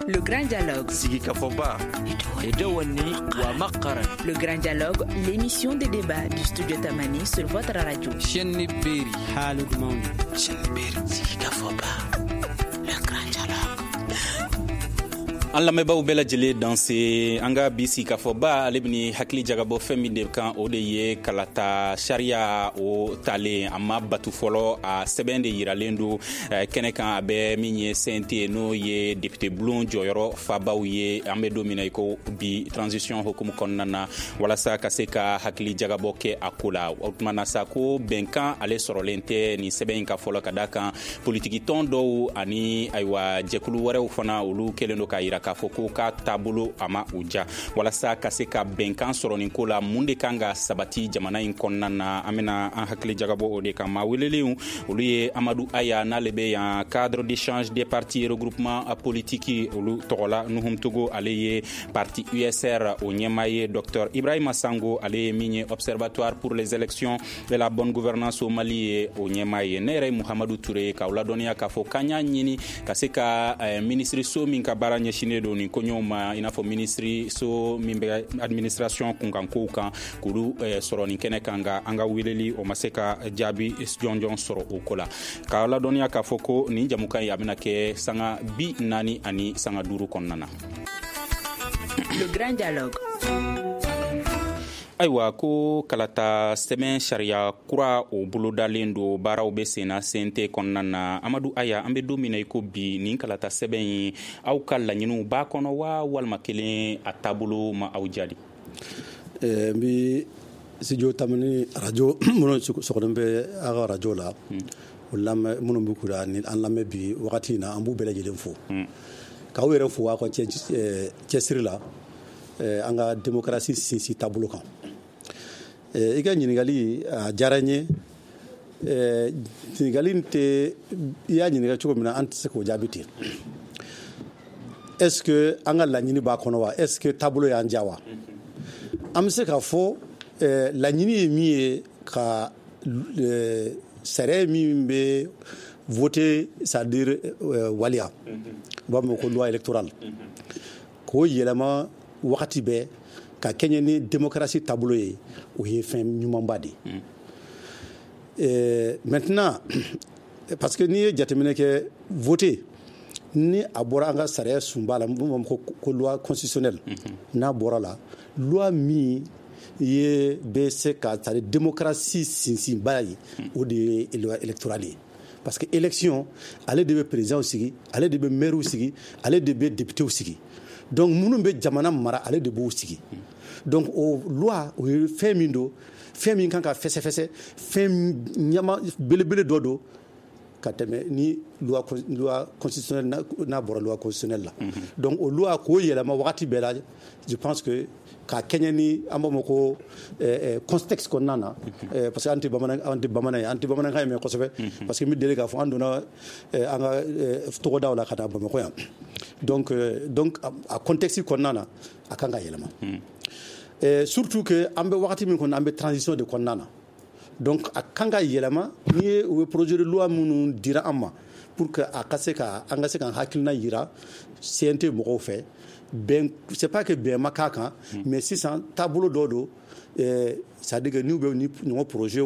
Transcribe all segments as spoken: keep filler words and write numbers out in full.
Le Grand Dialogue. Sigikafɔba. Le Grand Dialogue, l'émission de débat du studio Tamani sur votre radio. Sigikafɔba. Le Grand Dialogue. An lamɛnbaaw bɛɛ lajɛlen danse, an ka bi sigikafɔba, ale bɛ hakili jagabɔ fɛn min de kan, o de ye kalata sariya o talen, a ma batu fɔlɔ, a sɛbɛn de yiralen don kɛnɛ kan. A bɛ min ye C N T, n'o ye député bulon jɔyɔrɔ fabaw ye, an bɛ don min na i ko bi, transition hukumu kɔnɔna na, walasa ka se ka hakili jagabɔ kɛ a ko la. O tuma na sa, ko bɛnkan ale sɔrɔlen tɛ nin sɛbɛn in ka fɔlɔ, ka da kan politiki tɔn dɔw ani ayiwa jɛkulu wɛrɛw fana, olu kɛlen don k'a yira k'a fɔ ko k'a taabolo a ma u ja. Walasa ka se ka bɛnkan sɔrɔ nin ko la, mun de kan ka sabati jamana in kɔnɔna na? An bena an hakili jagabɔ o de kan. Maa welelenw, olu ye Amadu Aya, n'ale bɛ yan Cadre d'échange des partis regroupement politique olu tɔgɔ la, Nuhum Togo, ale ye parti U S R o ɲɛmaa ye, docteur Ibrahima Sango, ale ye min ye Observatoire pour les élections et la bonne gouvernance au Mali ye o ɲɛmaa ye. Ne yɛrɛ ye Muhamadu Ture, k'aw ladɔnniya k'a fɔ k'an y'a ɲini ka se ka minisiri so min ka baara ɲɛsinnen don nin koɲɛw ma, i n'a fɔ minisiri so min bɛ administration kunkankow kan, k'olu sɔrɔ nin kɛnɛ kan, nka an ka weleli o ma se ka jaabi jɔnjɔn sɔrɔ o ko la. K'aw ladɔnniya k'a fɔ ko nin jamukan ye, a bɛna kɛ sanga bi naani ani sanga duuru kɔnɔna na. Le Grand Dialogue. Ayiwa, ko kalata sɛbɛn sariya kura o bolodalen don, baaraw bɛ senna C N T kɔnɔna na. Amadu Aya, an bɛ don min na i ko bi, nin kalata sɛbɛn in, aw ka laɲiniw b'a kɔnɔ wa, walima kelen a taabolo ma aw jaabi? N bɛ studio Tamani radio minnu sɔgɔlen bɛ aw ka radio la, o lamɛn minnu bɛ k'u ni an lamɛn bi wagati in na, an b'u bɛɛ lajɛlen fo, k'aw yɛrɛ fo aw ka cɛsiri la an ka démocratie sinsin taabolo kan. I ka ɲininkali a diyara n ye. Ɲininkali in tɛ, i y'a ɲininka cogo min na, an tɛ se k'o jaabi ten. Est ce que an ka laɲini b'a kɔnɔ wa? Est ce que taabolo y'an diya wa? An bɛ se k'a fɔ laɲini ye min ye, ka sariya min bɛ voter, c'est à dire waliya, u b'a fɔ ko loi électorale, k'o yɛlɛma wagati bɛɛ ka kɛɲɛ ni démocratie taabolo ye, o ye fɛn ɲumanba de ye. Maintenant, parce que n'i ye jateminɛ kɛ, voter ni a bɔra an ka sariya sunba la, mun b'a fɔ ko loi constitutionnelle, n'a bɔra la, loi min ye bɛ se ka, c'est à dire démocratie sinsinba ye, o de ye loi électorale ye, parce que élection, ale de bɛ président sigi, ale de bɛ maire sigi, ale de bɛ député sigi. Donc minnu bɛ jamana mara, ale de b'o sigi. Donc o loi, o ye fɛn min don, fɛn min kan ka fɛsɛfɛsɛ, fɛn ɲama belebele dɔ don ka tɛmɛ ni loi loi constitutionnelle n'a bɔra loi constitutionnelle la. Donc o loi, k'o yɛlɛma wagati bɛɛ la, je pense que ka kɛɲɛ ni an b'a fɔ ko contexte kɔnɔna na, parce que an tɛ bamanan an tɛ bamanan ye, an tɛ bamanankan ye mɛn kosɛbɛ, parce que n bɛ deli k'a fɔ an donna an ka togodaw la ka na Bamakɔ yan. donc donc a contexte kɔnɔna na, a kan ka yɛlɛma, surtout que an bɛ wagati min kɔnɔ, an bɛ transition de kɔnɔna na. Donc a kan ka yɛlɛma. N'i ye u ye projet de loi minnu dira an ma pour que a ka se ka an ka se k'an hakilina yira C N T mɔgɔw fɛ, bɛn, c'est pas que bɛn ma k'a kan, mais sisan taabolo dɔ don, c'est à dire que n'u bɛ ni ɲɔgɔn projet,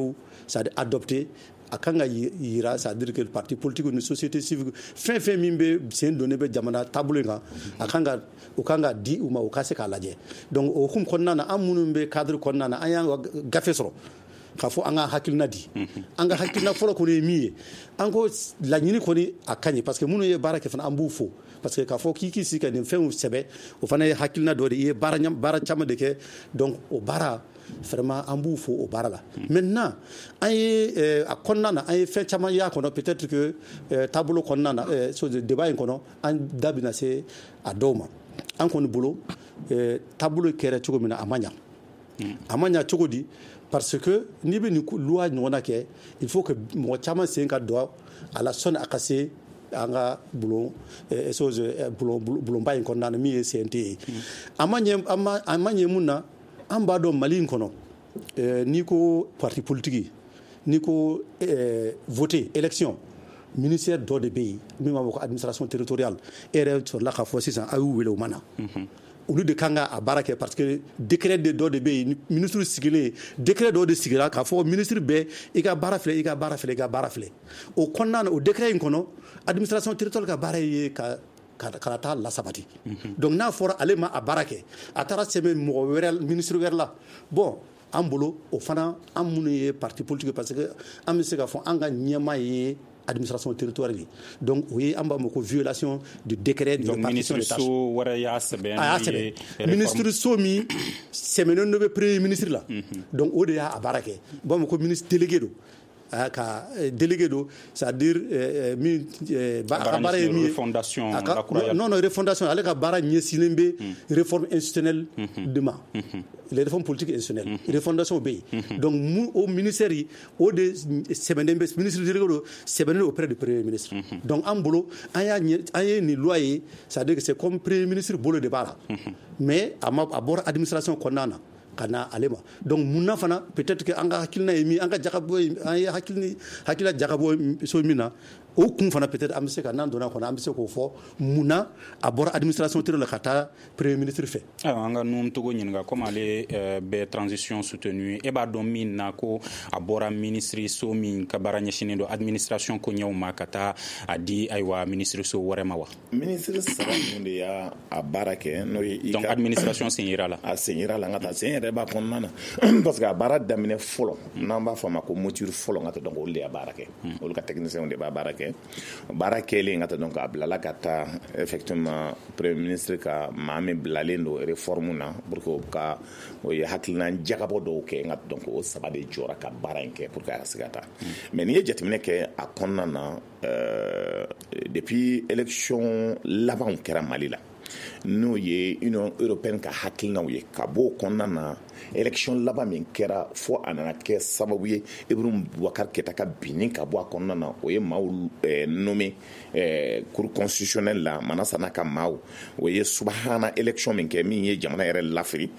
c'est à dire adopté, a kan ka yira, c'est à dire que parti politique ni société civile, fɛn fɛn min bɛ sen donnen bɛ jamana taabolo in kan, a kan ka u kan ka di u ma, u ka se k'a lajɛ. Donc o hukumu kɔnɔna na, an minnu bɛ cadre kɔnɔna na, an y'an ka gafe sɔrɔ k'a fɔ an ka hakilina di. An ka hakilina fɔlɔ kɔni ye min ye, an ko laɲini kɔni a ka ɲi, parce que minnu ye baara kɛ fana, an b'u fo, parce que k'a fɔ k'i k'i sigi ka nin fɛnw sɛbɛ, o fana ye hakilina dɔ de ye. I ye baara baara caman de kɛ. Donc o baara vraiment, an b'u fo o baara la. Maintenant, an ye a kɔnɔna na, an ye fɛn caman y'a kɔnɔ, peut-être que taabolo kɔnɔna na, débat in kɔnɔ, an da bɛna se a dɔw ma. An kɔni bolo, taabolo kɛra cogo min na, a ma ɲa. A ma ɲa cogo di? Parce que n'i bɛ nin loi ɲɔgɔnna kɛ, il faut que mɔgɔ caman sen ka don a la sɔnni a ka se an ka bulon chose bulon bulonba in kɔnɔna na, min ye C N T ye. A ma ɲɛ, a ma a ma ɲɛ mun na? An b'a dɔn Mali in kɔnɔ, n'i ko parti politique, n'i ko voter, élection, Ministère dɔ de bɛ yen min b'a fɔ ko administration territoriale. E yɛrɛ sɔrɔla k'a fɔ sisan, a y'u wele, u ma na. Olu de kan ka a baara kɛ, parce que décret de dɔ de bɛ yen, ministre sigilen, décret dɔ de sigira k'a fɔ ministre bɛɛ, i ka baara filɛ, i ka baara filɛ, i ka baara filɛ. O kɔnɔna na, o décret in kɔnɔ, administration territoriale ka baara ye ka ka taa lasabati. Donc n'a fɔra ale ma a baara kɛ, a taara sɛbɛn mɔgɔ wɛrɛ, ministre wɛrɛ la, bon, an bolo o fana, an minnu ye parti politique, parce que an bɛ se k'a fɔ an ka ɲɛmaa ye administration territoriale. Donc o ye, an b'a ma ko violation du décret de Donc répartition ministre des tâches. So wɛrɛ y'a sɛbɛn? A y'a N'o ye sɛbɛn, ministre so min sɛmɛnen dɔ bɛ premier ministre la. Donc o de y'a a baara kɛ. U b'a ma ko ministre délégué don. A ka eh, délégué don, c'est à dire eh, eh, min eh, ba- a ka baara ye min ye refondation a ka- lakuraya. non non refondation, ale ka baara ɲɛsinnen bɛ réforme institutionnelle de ma, les réformes politiques institutionnelles, refondation bɛ yen. Donc mu o ministère yi, o de sɛbɛnnen bɛ, ministre délégué don, sɛbɛnnen don auprès du premier ministre. Donc an bolo, an y'a ɲɛ, an ye nin loi ye, c'est à dire que c'est comme premier ministre bolo de b'a la, mais a ma, a bɔra administration kɔnɔna na ka na ale ma. Donc munna fana, peut-être que an ka hakilina ye min, an ka jagabɔ ye, an ye hakili hakilina jagabɔ so min na, o kun fana, peut-être an bɛ se ka, n'an donna kɔnɔ, an bɛ se k'o fɔ munna a bɔra administration territoriale la ka taa premier ministre fɛ. Ayiwa, an ka Nouhoum Togo ɲininka, comme ale euh, bɛ transition soutenu, e b'a dɔn min na ko a bɔra ministre so min ka baara ɲɛsinnen don administration koɲɛw ma ka taa a di, ayiwa, ministre so wɛrɛ ma wa? Ministre saba ninnu de y'a a baara kɛ, n'o ye i Donc ka administration sen yira la. A sen yira la, n ka taa sen yɛrɛ b'a kɔnɔna na, parce que a baara daminɛ fɔlɔ, n'an b'a fɔ a ma ko mouture fɔlɔ, n ka taa, donc olu de y'a baara kɛ, olu ka technicien de b'a baara kɛ. Baara kɛlen, ka taa, donc a bilala ka taa effectivement premier ministre ka maa min bilalen don réforme na pour que o ka o ye hakilina jagabɔ dɔw kɛ, n ka donc o saba de jɔra ka baara in kɛ pour que a ka se ka taa. Mais n'i ye jateminɛ kɛ a kɔnɔna na, euh, depuis élection labanw kɛra Mali la, n'o ye Union européenne ka hakilinaw ye ka bɔ o kɔnɔna na, élection laban min kɛra fo a nana kɛ sababu ye Ibrahim Boubacar Keïta ka binni ka bɔ a kɔnɔna na, o ye maaw eh, nommé eh, cour constitutionnelle la, Manassa n'a ka maaw. O ye subahana élection min kɛ, min ye jamana yɛrɛ lafiri,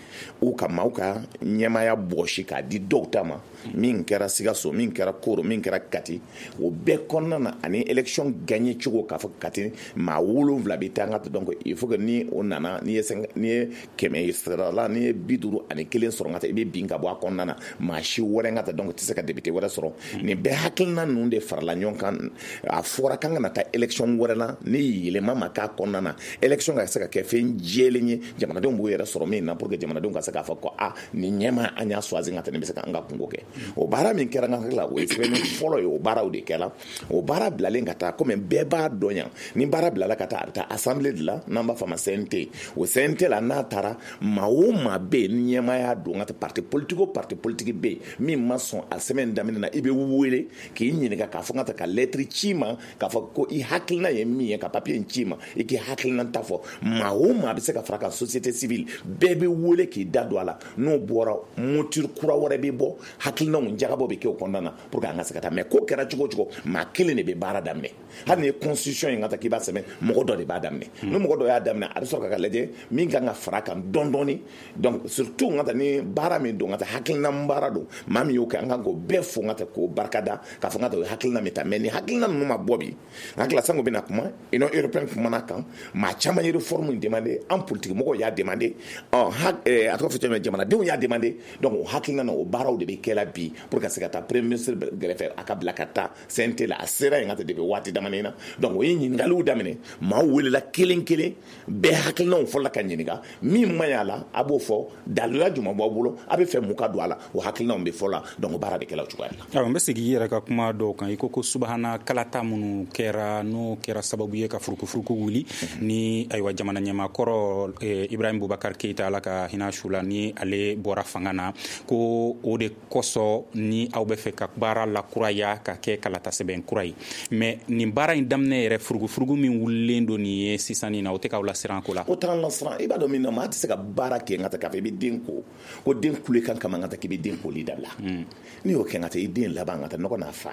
u ka maaw ka ɲɛmaya bɔsi k'a di dɔw ta ma, min kɛra Sikaso, min kɛra Koro, min kɛra Kati, o bɛɛ kɔnɔna na, ani élection gagné cogo k'a fɔ Kati maa wolonwula bɛ taa, n ka donc il faut que ni o nana, n'i ye n'i ye kɛmɛ sara la, n'i ye bi duuru ani kelen sɔrɔ, n ka taa, i bɛ bin ka bɔ a kɔnɔna na, maa si wɛrɛ, n ka taa, donc tɛ se ka député wɛrɛ sɔrɔ. Nin bɛɛ hakilina ninnu de farala ɲɔgɔn kan. A fɔra k'an kana taa élection wɛrɛ la ni yɛlɛma ma k'a kɔnɔna na, élection ka se ka kɛ fɛn jɛlen ye, jamanadenw b'u yɛrɛ sɔrɔ min na, pour que jamanadenw ka se k'a fɔ ko a nin ɲɛma an y'a choisi, n ka taa, nin bɛ se k'an ka kungo kɛ. O baara min kɛra, n ka hakili la, o ye sɛbɛnni fɔlɔ ye. O baaraw de kɛra, o baara bilalen ka taa, komi bɛɛ b'a dɔn yan, ni baara bilala ka taa, a bɛ taa assemblée de la, n'an b'a fɔ a ma C N T. O C N T la, n'a taara, maa o maa bɛ yen ni ɲɛmaaya don, ka taa, parti politique o parti politique bɛ yen min ma sɔn a sɛbɛn daminɛ na, i bɛ wele k'i ɲininka k'a fɔ n ka taa ka lettre ci ma, k'a fɔ ko i hakilina ye min ye, ka papier in ci ma, i k'i hakilina ta fɔ. Maa o maa bɛ se ka fara kan, société civile bɛɛ bɛ wele k'i da don a la. N'o bɔra, mouture kura wɛrɛ bɛ bɔ, hakilinaw jagabɔ bɛ kɛ o kɔnɔna na pour que an ka se ka taa. Mais ko kɛra cogo o cogo, maa kelen de bɛ baara daminɛ. Hali ni ye constitution in ka taa k'i b'a sɛbɛn, mɔgɔ dɔ de b'a daminɛ. Ni mɔgɔ dɔ y'a daminɛ, a bɛ sɔrɔ ka lajɛ min kan ka fara kan dɔɔni dɔɔni. Donc surtout, n ka taa, ni baara min don, n ka taa, hakilina baara don, maa min y'o kɛ, an kan k'o bɛɛ fo, n ka taa, k'o barikada, k'a fɔ n ka taa, o ye hakilina min ta. Mais ni hakilina ninnu ma bɔ bi, n hakili la, sango bɛna kuma Union européenne kumana kan, maa caman ye réforme in demandé, an politique mɔgɔw y'a demandé, ɔ ha a tɔgɔ fɔ cogo min, jamanadenw y'a demandé. Donc o hakilina na, o baaraw de bɛ kɛ la bi pour ka se ka taa premier ministre gɛrɛfɛ, a ka bila ka taa C N T la. A sera yen ka taa depuis waati damadɔ na. Donc o ye ɲininkaliw daminɛ, maaw welela kelen kelen, bɛɛ hakilinaw fɔlɔ ka ɲininka, min man ɲi a la, a b'o fɔ, daluya jumɛn b'aw bolo, a bɛ fɛ mun ka don a la, o hakilinaw bɛ fɔ la. Donc o baara bɛ kɛla o cogoya la. Ayiwa, n bɛ segin i yɛrɛ ka kuma dɔw kan. I ko ko subahana kalata minnu kɛra, n'o kɛra sababu ye ka furukufuruku wuli ni, ayiwa, jamana ɲɛmaakɔrɔ eh, Ibrahim Boubacar Keïta, Ala ka hinɛ su la, ni ale bɔra fanga na, ko o de kosɔn ni aw bɛ fɛ ka baara lakuraya ka kɛ kalata sɛbɛn kura ye. Mais nin baara in daminɛ yɛrɛ, furukufuruku min wulilen don nin ye sisan nin na, o tɛ k'aw lasiran ko la? O t'an lasiran. I b'a dɔn min na, maa tɛ se ka baara kɛ n ka taa k'a fɔ i bɛ den ko ko den kulekan kama, n ka taa k'i bɛ den koli dabila. N'i y'o kɛ, n ka taa, i den laban, n ka taa, nɔgɔ n'a fa.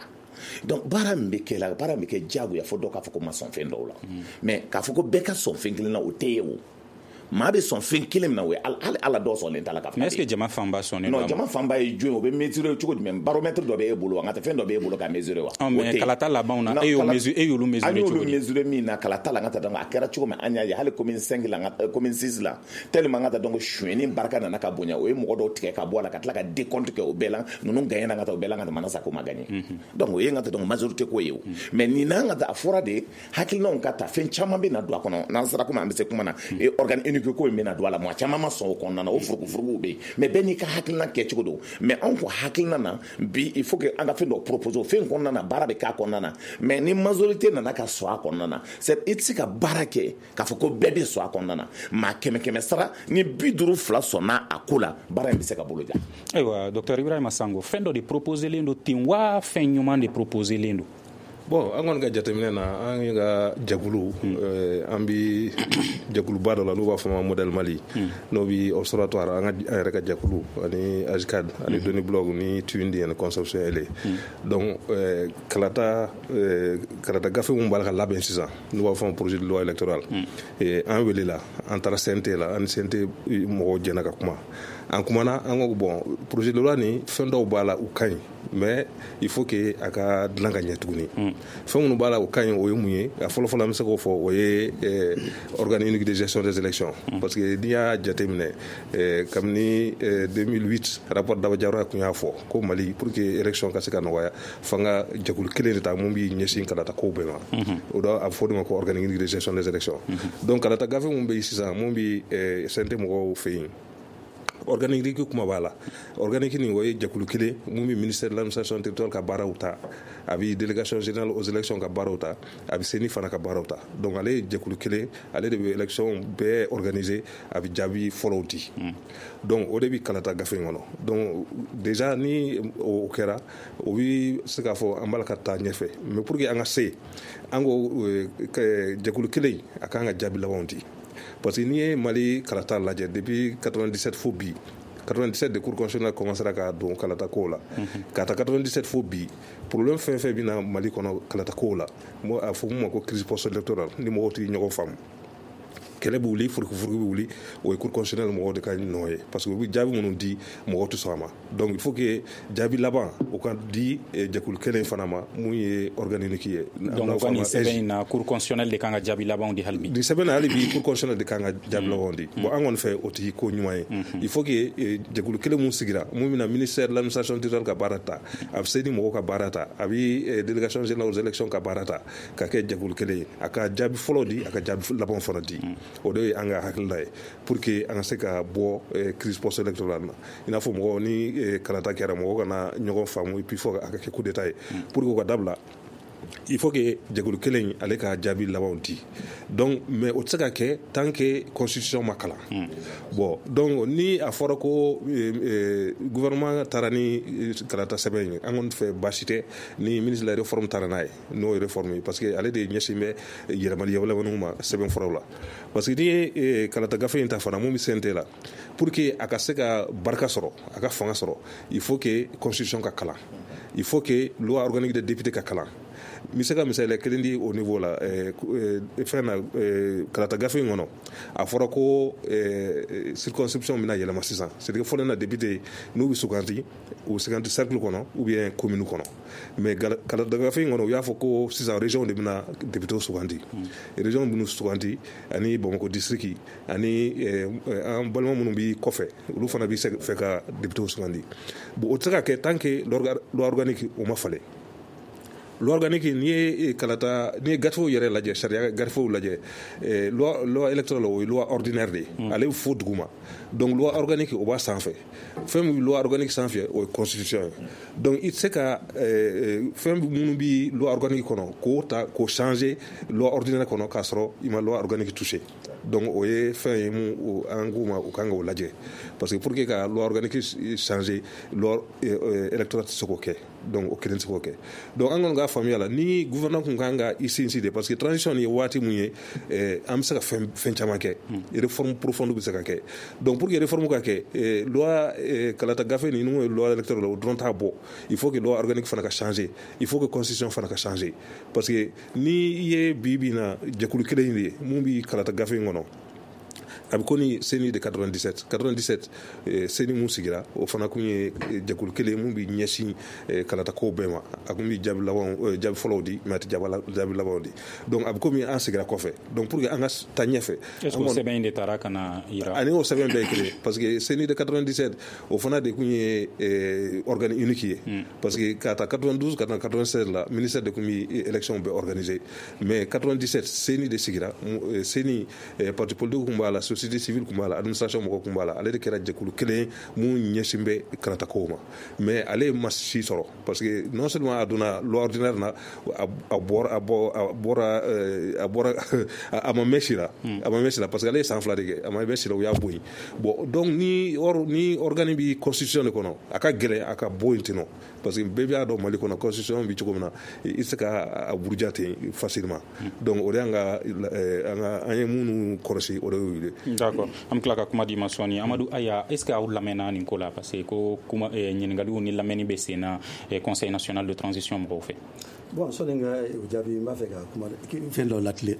Donc baara min bɛ kɛ la, baara min bɛ kɛ diyagoya fo dɔw k'a fɔ ko ma sɔn fɛn dɔw la. Mais k'a fɔ ko bɛɛ ka sɔn fɛn kelen na, o tɛ ye. O Maa bɛ sɔn fɛn kelen min na, o ye hali Ala dɔw sɔnlen t'a la ka fɔ. Mais est ce que jama fanba sɔnnen don? Non, jama fanba ye jɔn ye? O bɛ mesurer cogo jumɛn? Baromètre dɔ bɛ e bolo wa? N ka tɛ fɛn dɔ bɛ e bolo ka mesurer wa? Mais kalata labanw na, e y'o mesurer, e y'olu mesurer cogo di? An y'olu mesurer min na kalata la, n ka taa donc a kɛra cogo min, an y'a ye hali commune cinq la, commune six la, tellement n ka taa donc sonyɛni barika nana ka bonya, o ye mɔgɔ dɔw tigɛ ka bɔ a la ka tila ka décompte kɛ o bɛɛ la, ninnu gagné na, ka taa o bɛɛ la, ka taa Manasa ko ma gagné. Donc o ye n ka taa donc majorité ko ye o. Mais nin n'an ka taa a fɔra de hakilinaw ka ta, fɛn caman bɛ na don a kɔnɔ. N'an sera komi an bɛ se kuma na, organe unique ko in bɛ na don a la, mɔgɔ caman ma sɔn o kɔnɔna na, o furugufuruguw bɛ yen. Mais bɛɛ n'i ka hakilina kɛcogo don. Mais anw ko hakilina na bi, il faut que an ka fɛn dɔ proposer o fɛn kɔnɔna na, baara bɛ k'a kɔnɔna na. Mais ni majorité nana ka sɔn a kɔnɔna na, c'est i tɛ se ka baara kɛ k'a fɔ ko bɛɛ bɛ sɔn a kɔnɔna na. Maa kɛmɛ kɛmɛ sara ni bi duuru fila sɔnna a ko la, baara in bɛ se ka bolo ja. Ayiwa, docteur Ibrahima Sango, fɛn dɔ de proposélen don ten wa, fɛn ɲuman de proposélen don? Bon, an kɔni ka jateminɛ na, an ka jɛkulu, an bi jɛkuluba dɔ la n'u b'a fɔ ma Modèle Mali, n'o bi observatoire, an ka an yɛrɛ ka jɛkulu ani AJCAD ani Doni Blog ni Tundi ani Conception Ele. Donc kalata kalata gafe mun b'a la ka labɛn sisan, n'u b'a fɔ ma projet de loi électorale, an welela, an taara C N T la, an ni C N T mɔgɔw jɛna ka kuma. An kumana, an ko bon, projet de loi ni fɛn dɔw b'a la u ka ɲi, mais il faut que a ka dilan ka ɲɛ tuguni. Fɛn minnu b'a la o ka ɲi, o ye mun ye? A fɔlɔ fɔlɔ an bɛ se k'o fɔ, o ye organe unique de gestion des élections. Parce que n'i y'a jateminɛ, kabini deux mille huit rapport Daba Diarra tun y'a fɔ ko Mali, pour que élection ka se ka nɔgɔya, f'an ka jɛkulu kelen de ta mun b'i ɲɛsin kalata kow bɛɛ ma. O da a bɛ fɔ o de ma ko organe unique de gestion des élections. Donc kalata gafe mun bɛ yen sisan, mun bɛ C N T mɔgɔw fɛ yen, organique kuma b'a la. Organique nin, o ye jɛkulu kelen mun bɛ ministère de l'administration territoriale ka baaraw ta, a bɛ délégation générale aux élections ka baaraw ta, a bɛ CENI fana ka baaraw ta. Donc ale ye jɛkulu kelen, ale de bɛ élection bɛɛ organiser, a bɛ jaabi fɔlɔw di. Donc o de bɛ kalata gafe in kɔnɔ. Donc déjà ni o kɛra, o bɛ se k'a fɔ an b'a la ka taa ɲɛfɛ. Mais pour que an ka se, an ko jɛkulu kelen a kan ka jaabi labanw di. Parce que n'i ye Mali kalata lajɛ depuis quatre-vingt-dix-sept fo bi, quatre-vingt-dix-sept de Cour constitutionnelle commencera ka don kalata kow la, ka ta quatre-vingt-dix-sept fo bi, problème fɛn fɛn bɛ na Mali kɔnɔ kalata kow la, a fɔ mun ma ko crise post-électorale, ni mɔgɔw tɛ ɲɔgɔn faamu, kɛlɛ bɛ wuli, furugufurugu bɛ wuli, o ye Cour constitutionnelle mɔgɔw de ka nɔ ye. Parce que u bɛ jaabi minnu di, mɔgɔw tɛ sɔn a ma. Donc il faut que jaabi laban o ka di jɛkulu kelen fana ma mun ye organe unique ye. Donc o ka nin sɛbɛn in na, Cour constitutionnelle de kan ka jaabi labanw di hali bi? Nin sɛbɛn na hali bi, Cour constitutionnelle de kan ka jaabi labanw di. Bon, an kɔni fɛ o tɛ ko ɲuman ye. Il faut que jɛkulu kelen mun sigira, mun bɛna ministère de l'administration territoriale ka baara ta, a bɛ CENI mɔgɔw ka baara ta, a bɛ délégation générale aux élections ka baara ta, ka kɛ jɛkulu kelen ye, a ka jaabi fɔlɔ di, a ka jaabi labanw fana di. O de ye an ka hakilina ye pour que an ka se ka bɔ crise post-électorale na. I n'a fɔ mɔgɔ ni kalata kɛra, mɔgɔ kana ɲɔgɔn faamu, et puis fo a ka kɛ coup d'état ye. Pour que o ka dabila, il faut que jɛkulu kelen ale ka jaabi labanw di. Donc mais o tɛ se ka kɛ tant que constitution ma kalan. Bon, donc ni a fɔra ko gouvernement taara ni kalata sɛbɛn ye, an kɔni fɛ baasi tɛ ni ministre de la réforme taara n'a ye, n'o ye réforme ye, parce que ale de ɲɛsin bɛ yɛlɛmali yɛlɛmaniw ma sɛbɛn furaw la. Parce que n'i ye kalata gafe in ta fana mun bɛ C N T la, pour que a ka se ka barika sɔrɔ, a ka fanga sɔrɔ, il faut que constitution ka kalan, il faut que loi organique des députés ka kalan. N bɛ se ka misaliya kelen di o niveau la. Fɛn na, kalata gafe in kɔnɔ, a fɔra ko circonscription bɛna yɛlɛma sisan. C'est à dire fɔlɔ na député n'u bɛ suganti, u bɛ suganti cercle kɔnɔ ou bien commune kɔnɔ. Mais kalata gafe in kɔnɔ, u y'a fɔ ko sisan région de bɛna député suganti. Région bɛna suganti ani Bamakɔ district ani an balima minnu bɛ kɔfɛ, olu fana bɛ fɛ ka député sugandi. Bon, o tɛ se ka kɛ tant que loi organique o ma falen. Loi organique, n'i ye kalata, n'i ye gafew yɛrɛ lajɛ, sariya gafew lajɛ, loi loi électorale o ye loi ordinaire de ye, ale bɛ fo duguma. Donc loi organique o b'a sanfɛ. Fɛn min bɛ loi organique sanfɛ, o ye constitution ye. Donc i tɛ se ka fɛn minnu bɛ loi organique kɔnɔ k'o ta k'o changer loi ordinaire kɔnɔ k'a sɔrɔ i ma loi organique toucher. Donc o ye fɛn ye mun an k'u ma, u kan k'o lajɛ. Parce que pour que ka loi organique changer, loi électorale tɛ se k'o kɛ. Donc o kelen tɛ se k'o kɛ. Donc an kɔni ka faamuya la, ni gouvernement kun kan ka i sinsin de, parce que transition ni ye waati mun ye, an bɛ se ka fɛn fɛn caman kɛ, réforme profonde bɛ se ka kɛ. Donc pour que réforme ka kɛ, loi kalata gafe ninnu ye loi électorale o dɔrɔn t'a bɔ. Il faut que loi organique fana ka changer, il faut que constitution fana ka changer. Parce que ni i ye bi bi in na jɛkulu kelen in de ye mun bɛ kalata gafe in kɔnɔ, A bɛ ko ni CENI de quatre-vingt-dix-sept quatre-vingt-dix-sept, CENI mun sigira, o fana kun ye jɛkulu kelen mun bi ɲɛsin kalata kow bɛɛ ma. A kun bi jaabi labanw, jaabi fɔlɔw di, mais a tɛ jaabi labanw di. Donc a bɛ komi an sigira kɔfɛ. Donc pour que an ka taa ɲɛfɛ. Est ce que o sɛbɛn in de taara ka na yira? Ani o sɛbɛn bɛɛ ye kelen, parce que CENI de quatre-vingt-dix-sept, o fana de kun ye organe unique ye, parce que ka taa quatre-vingt-douze ka taa quatre-vingt-seize la, ministère de kun bi élection bɛɛ organiser. Mais quatre-vingt-dix-sept, CENI de sigira. CENI, parti politique kun b'a la, société civile kun b'a la, administration mɔgɔ kun b'a la. Ale de kɛra jɛkulu kelen mun ɲɛsin bɛ kalata kow ma. Mais ale ma si sɔrɔ, parce que non seulement a donna loi ordinaire na, a bɔra a bɔ a bɔra a bɔra a ma mɛn si la, a ma mɛn si la, parce que ale ye san fila de kɛ, a ma mɛn si la, u y'a bɔ yen. Bon, donc ni or ni organe bi constitution de kɔnɔ, a ka gɛlɛn a ka bɔ yen ten nɔ, parce que bɛɛ b'a dɔn Mali kɔnɔ, constitution bi cogo min na, i tɛ se ka a buruja ten facilement. Donc o de y'an ka an ka an ye minnu kɔlɔsi, o de y'o ye. D'accord, an bɛ tila ka kuma di ma sɔɔni. Amadu Aya, est ce que aw lamɛnna nin ko la? Parce que ko kuma ɲininkaliw ni lamɛnni bɛ sen na Conseil national de transition mɔgɔw fɛ. Bon, sɔni n ka o jaabi, n b'a fɛ ka kuma fɛn dɔ latilen,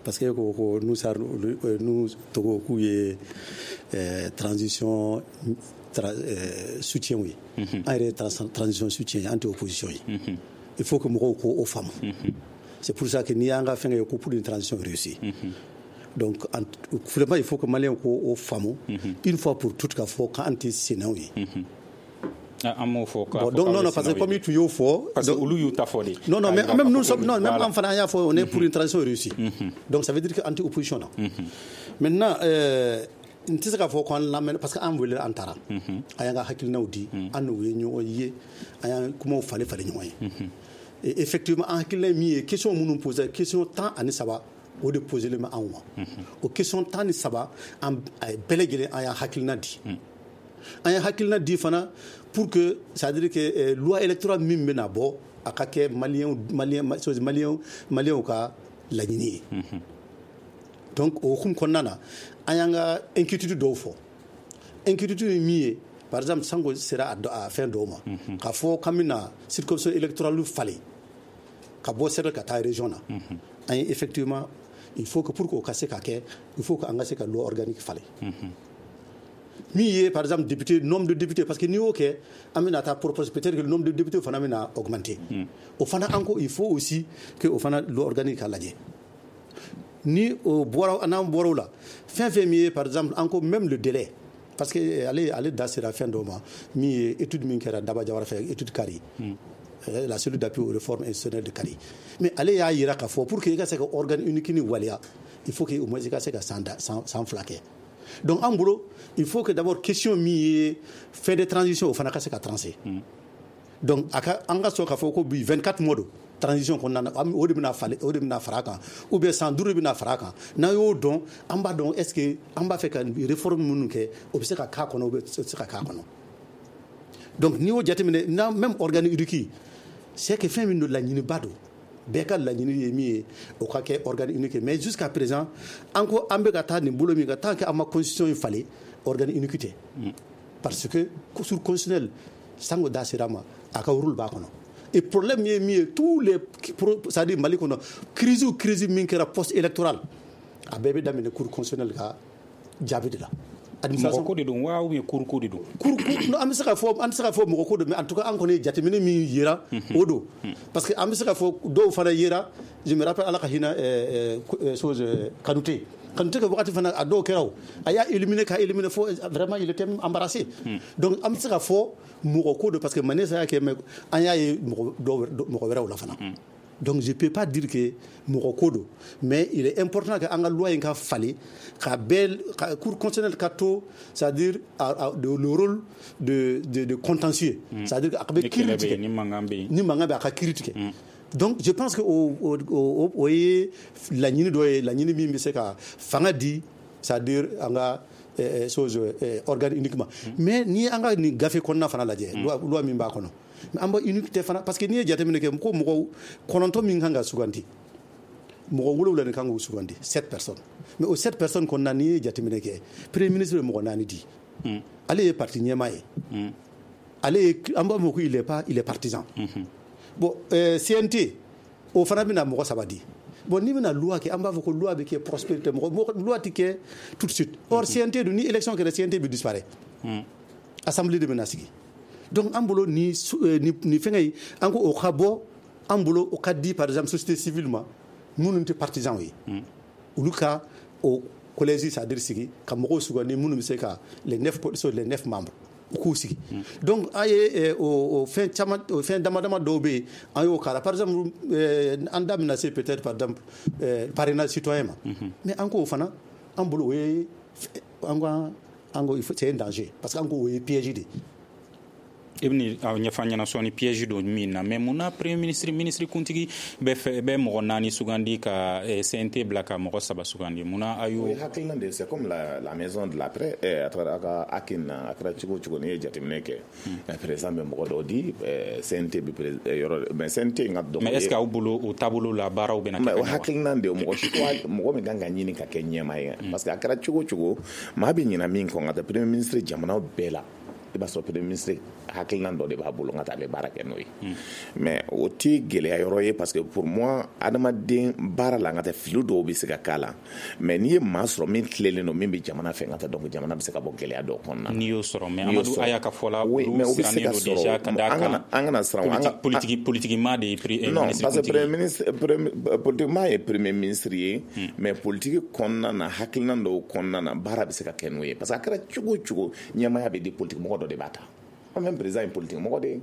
parce que ko ko Nusa nu Togo k'u ye transition soutien ye. An yɛrɛ ye transition soutien ye, an tɛ opposition ye. Il faut que mɔgɔw k'o o faamu. C'est pour ça que n'i y'an ka fɛn kɛ ko pour une transition réussie. Donc vraiment, il faut que Maliens k'o o faamu une fois pour toutes, k'a fɔ k'an tɛ sennaw ye. An m'o fɔ. Bon, donc non, non, parce que comme tu y'o fɔ. Parce que olu y'u ta fɔ de. Non, non, mais même nous sommes, non, même an fana, an y'a fɔ, on est pour une transition réussie. Donc ça veut dire que an tɛ opposition na. Maintenant, euh, n tɛ se k'a fɔ k'an lamɛn, parce que an wele, an taara, an y'an ka hakilinaw di, an n'u ye ɲɔgɔn ye, an y'an kumaw falen falen ɲɔgɔn ye. Et effectivement, an hakilina ye min ye, question minnu posé, question tan ani saba, o de posé bɛ anw ma. O question tan ni saba, an bɛɛ lajɛlen, an y'an hakilina di. An ye hakilina di fana pour que, c'est à dire que euh, loi électorale min bɛna bɔ, a ka kɛ maliyɛnw maliyɛn maliyɛnw maliyɛnw ka laɲini ye. Donc o hukumu kɔnɔna na, an y'an ka inquiétude dɔw fɔ. Inquiétude ye min ye, par exemple, Sango sera a fɛn dɔw ma, k'a fɔ k'an bɛna circonscription électorale falen ka bɔ cercle ka taa région na. An ye effectivement, il faut que pour que o ka se ka kɛ, il faut que an ka se ka loi organique falen. Min ye par exemple député, nombre de députés, parce que n'i y'o kɛ, an bɛna taa propose peut-être que le nombre de députés fana bɛna augmenter. O fana, an ko il faut aussi que o fana loi organique ka lajɛ. Ni o bɔra, n'an bɔra o la, fɛn fɛn min ye, par exemple, an ko même le délai, parce que ale ale da sera fɛn dɔw ma, min ye étude min kɛra Daba Jawara fɛ, étude Kari, la cellule d'appui aux réformes institutionnelles de Kari. Mais ale y'a yira k'a fɔ pour que i ka se ka organe unique ni waleya, il faut que au moins i ka se ka san san fila kɛ. Donc an bolo, il faut que d'abord question min ye fin de transition, o fana ka se ka trancher. Donc a ka an ka sɔn k'a fɔ ko bi vingt-quatre mois don transition kɔnɔna na, o de bɛna falen, o de bɛna fara a kan, ou bien san duuru de bɛna fara a kan. N'an y'o dɔn, an b'a dɔn est ce que an b'a fɛ ka réforme minnu kɛ, o bɛ se ka k'a kɔnɔ, o bɛ se ka k'a kɔnɔ. Donc n'i y'o jateminɛ n'a même organe unique, c'est que fɛn min don, laɲiniba don, bɛɛ ka laɲini ye min ye, o ka kɛ organe unique. Mais jusqu'à présent, an ko an bɛ ka taa nin bolo min kan, tant que an ma constitution in falen, organe unique tɛ, parce que cour constitutionnelle, Sango da sera ma, a ka rôle b'a kɔnɔ. Et problème ye min ye, tous les, c'est à dire Mali kɔnɔ, crise o crise min kɛra post électoral, a bɛɛ bɛ daminɛ cour constitutionnelle ka jaabi de la. Mɔgɔ ko de don wa, ou bien cour ko de don? Cour, non, an bɛ se ka fɔ an tɛ se ka fɔ mɔgɔ ko don, mais en tout cas an kɔni ye jateminɛ min yera, o don, parce que an bɛ se ka fɔ dɔw fana yera. Je me rappelle, Ala ka hinɛ chose Kanute Kanute ka wagati fana, a dɔw kɛra, o a y'a éliminer ka éliminer fo vraiment il était même embarrassé. Donc an bɛ se ka fɔ mɔgɔ ko don, parce que Manessa y'a kɛ, mais an y'a ye mɔgɔ dɔw, mɔgɔ wɛrɛw la fana. Donc je peux pas dire que mɔgɔ ko don, mais il est important que an ka loi in ka falen ka bɛɛ ka cour constitutionnelle ka to, c'est-à-dire à, à, de, le rôle de, de, de contentieux, mm. c'est-à-dire a bɛ kiiri tigɛ. Ni mankan bɛ yen. Ni mankan bɛ, a ka kiiri tigɛ. Donc je pense que o o o o ye laɲini dɔ ye, laɲini min bɛ se ka fanga di, c'est-à-dire an ka eh, chose eh, organe uniquement. Mais n'i ye an ka nin gafe kɔnɔna fana lajɛ, loi, loi min b'a kɔnɔ, an bɔ unique tɛ fana, parce que n'i ye jateminɛ kɛ ko mɔgɔw kɔnɔntɔn min kan ka sugandi, mɔgɔ wolonwula de kan k'o sugandi, sept personnes. Mais o sept personnes kɔnɔna, n'i ye jateminɛ kɛ, premier ministre bɛ mɔgɔ naani di. Ale ye parti ɲɛmaa ye, ale ye, an b'a fɔ ko il est pas, il est partisan. Bon, euh, C N T o fana bɛna mɔgɔ saba di. Bon, n'i bɛna loi kɛ, an b'a fɔ ko loi bɛ kɛ prospérité, mɔgɔ loi tɛ kɛ tout de suite. Or C N T dun, ni élection kɛra, C N T bɛ disparaître, assemblée de bɛna sigi. Donc an bolo ni ni fɛngɛ in, an ko o ka bɔ an bolo, o ka di par exemple société civile ma, minnu tɛ partisans ye, olu ka o collège, c'est-à-dire sigi ka mɔgɔw sugandi minnu bɛ se ka les neuf les neuf membres u k'u sigi. Donc an ye o fɛn caman, o fɛn dama dama dɔw bɛ yen, an y'o k'a la. Par exemple, an da bɛna se peut-être par exemple parrainage citoyen ma, mais an k'o fana, an bolo o ye, an ko an ko c'est un danger, parce que an ko o ye piège de ye. I bɛ ɲɛfɔ an ɲɛna sɔɔni piège don min na. Mais mun na premier ministre, ministre kuntigi bɛ fɛ bɛ mɔgɔ naani sugandi ka C N T bila ka mɔgɔ saba sugandi, mun na a y'o? O ye hakilina de ye, c'est comme la, la maison de la presse, a taara a ka Akin na, a kɛra cogo o cogo, n'i ye jateminɛ kɛ, président bɛ mɔgɔ dɔw di, C N T bɛ yɔrɔ, mais C N T ka dɔgɔ. Mais est ce que aw bolo o taabolo la baaraw bɛna kɛ? Mais o hakilina de ye, mɔgɔ choix, mɔgɔ min kan ka ɲini ka kɛ ɲɛmaa ye, parce que a kɛra cogo o cogo, maa bɛ ɲina min kɔ, nka tɛ premier ministre jamanaw bɛɛ la, i b'a sɔrɔ premier ministre hakilina dɔ de b'a bolo, nka a bɛ baara kɛ n'o ye. Mais o tɛ gɛlɛya yɔrɔ ye, parce que pour moi, adamaden baara la, nka tɛ fili dɔw bɛ se ka k'a la, mais n'i ye maa sɔrɔ min tilelen don, min bɛ jamana fɛ, nka tɛ donc jamana bɛ se ka bɔ gɛlɛya dɔw kɔnɔna na. N'i y'o sɔrɔ, mais Amadu Aya ka fɔ la, olu sirannen don déjà ka d'a kan. An kana siran. Politique politique maa de ye premier ministre. Non, parce que premier ministre, politique maa ye premier ministre ye, mais politique kɔnɔna na, hakilina dɔw kɔnɔna na, baara bɛ se ka kɛ n'o ye, parce que a kɛra cogo o cogo, ɲɛmaaya bɛ di politique mɔgɔ dɔ de b'a ta. Même président ye politique mɔgɔ de ye,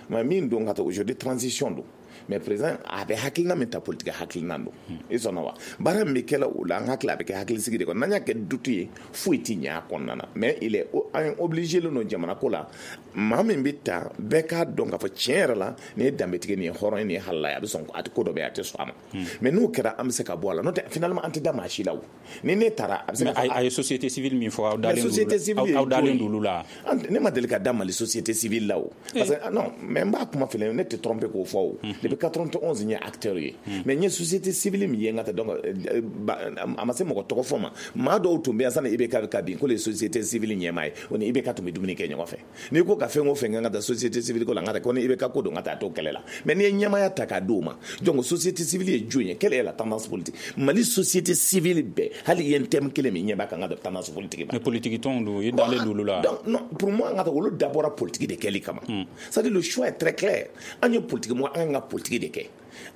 mais min don ka taa aujourd'hui transition don, mais président a bɛ hakilina min ta, politique hakilina don. I sɔnna wa? Baara min bɛ kɛ o la, an hakili a bɛ kɛ hakilisigi de kɔnɔ. N'an y'a kɛ doute ye, foyi tɛ ɲɛ a kɔnɔna na. Mais il est an obligé len don jamana ko la, maa min bɛ ta, bɛɛ k'a dɔn k'a fɔ tiɲɛ yɛrɛ la, nin ye danbetigi, nin ye hɔrɔn ye, nin ye halala ye, a bɛ sɔn a tɛ ko dɔ bɛ yen, a tɛ sɔn a ma. Mais n'o kɛra, an bɛ se ka bɔ a la. N'o tɛ finalement an tɛ da maa si la o. Ni ne taara, a bɛ se ka. A ye société civile min fɔ, aw dalen don aw dalen don olu la. Ne ma deli ka da Mali société civile la o. Parce que non, mais n b'a kuma filɛ, ne tɛ tromper k'o fɔ o. Depuis quatre-vingt-onze n ye acteur ye. Mais n ye société civile min ye, n ka tɛ donc a ma se mɔgɔ tɔgɔ fɔ ma. Maa dɔw tun bɛ yan sanni I B K ka bin, ko le société civile ɲɛmaa ye, o ni I B K tun bɛ dumuni kɛ ɲɔgɔn fɛ. N'i ko ka fɛn o fɛn kɛ, n ka taa société civile ko la, n ka taa ko ni I B K ko don, n ka taa t'o kɛlɛ la. Mais n'i ye ɲɛmaaya ta k'a d'o ma, donc société civile ye jɔn ye? Quelle est la tendance politique? Mali société civile bɛɛ, hali i ye thème kelen min ɲɛ b'a kan, n ka taa tendance politique ba. Mais politique tɔnw don, i dalen don olu la. Donc non, pour moi, n ka taa olu dabɔra politique de kɛli kama. C'est-à-dire le choix est très clair. An ye politique mɔgɔ, an ka politique de kɛ.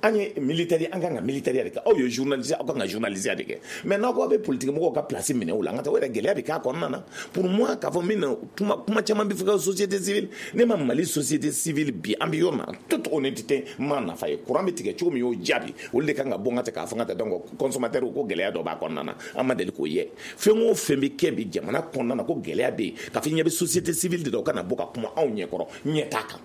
An ye militaire, an kan ka militaire de kɛ. Aw ye journaliste, aw kan ka journaliste de kɛ. Mais n'aw ko aw bɛ politique mɔgɔw ka place minɛ o la, n ka taa o yɛrɛ gɛlɛya bɛ k'a kɔnɔna na. Pour moi, k'a fɔ min na, kuma kuma caman bɛ fɔ ka société civile, ne ma Mali société civile bi, an bɛ yɔrɔ min na, toute honnêteté, n m'a nafa ye. Courant bɛ tigɛ cogo min, y'o jaabi, olu de kan ka bɔ n ka tɛ k'a fɔ n ka taa donc consommateur ko gɛlɛya dɔ b'a kɔnɔna na, an ma deli k'o ye. Fɛn o fɛn bɛ kɛ bi jamana kɔnɔna na ko gɛlɛya bɛ yen, k'a fɔ ɲɛ bɛ société civile de la, o kana bɔ ka kuma anw ɲɛkɔrɔ, ɲɛ t'a kan.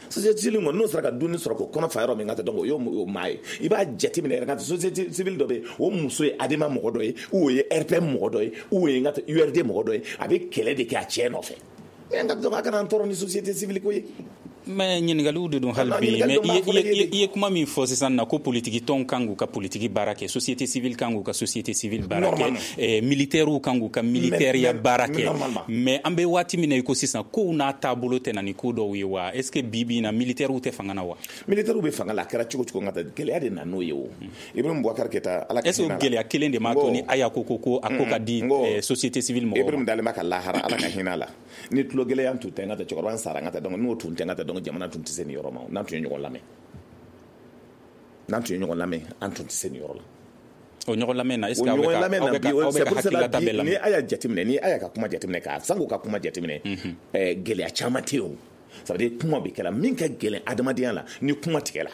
Société civile kɔni, n'o sera ka dumuni sɔrɔ k'o kɔnɔ fa yɔrɔ min, ka taa donc o y'o maa ye. I b'a jateminɛ yɛrɛ, ka société civile dɔ bɛ yen, o muso ye ADEMA mɔgɔ dɔ ye, ou o ye R P M mɔgɔ dɔ ye, ou o ye n ka U R D mɔgɔ dɔ ye, a bɛ kɛlɛ de kɛ a cɛ nɔfɛ. Mais n ka donc a kana an tɔɔrɔ ni société civile ko ye. Mais ɲininkaliw de don hali bi. Mais i ye kuma min fɔ sisan na, ko politiki tɔnw kan k'u ka politiki baara kɛ, société civile kan k'u ka société civile baara kɛ, militaires kan k'u ka militaire baara kɛ. Mais an bɛ waati min na i ko sisan, kow n'a taabolo tɛ na ni ko dɔw ye wa? Est ce que bi bi in na militaires tɛ fanga na wa? Militaires bɛ fanga la, a kɛra cogo cogo, n ka taa gɛlɛya de na n'o ye o. Ibrahim Boubacar Keita, Ala ka est ce que gɛlɛya kelen de m'a to ni Aya ko ko ko a ko ka di société civile mɔgɔw ma? Ibrahim dalen b'a ka lahara, Ala ka hinɛ a la. Ni tulo gɛlɛya tun tɛ, n ka taa cɛkɔrɔba n sara, n ka taa donc n'o tun tɛ, n ka taa donc jamana tun tɛ se nin yɔrɔ ma. N'an tun ye ɲɔgɔn lamɛn, n'an tun ye ɲɔgɔn lamɛn, an tun tɛ se nin yɔrɔ la. O ɲɔgɔn lamɛn na, est ce que aw bɛ ka aw bɛ ka aw bɛ ka hakililata bɛɛ lamɛn? Ni a y'a jateminɛ, ni a y'a ka kuma jateminɛ, k'a sango ka kuma jateminɛ, ɛɛ gɛlɛya caman tɛ yen o. Ça veut dire kuma bɛ kɛla min ka gɛlɛn adamadenya la, ni kuma tigɛla.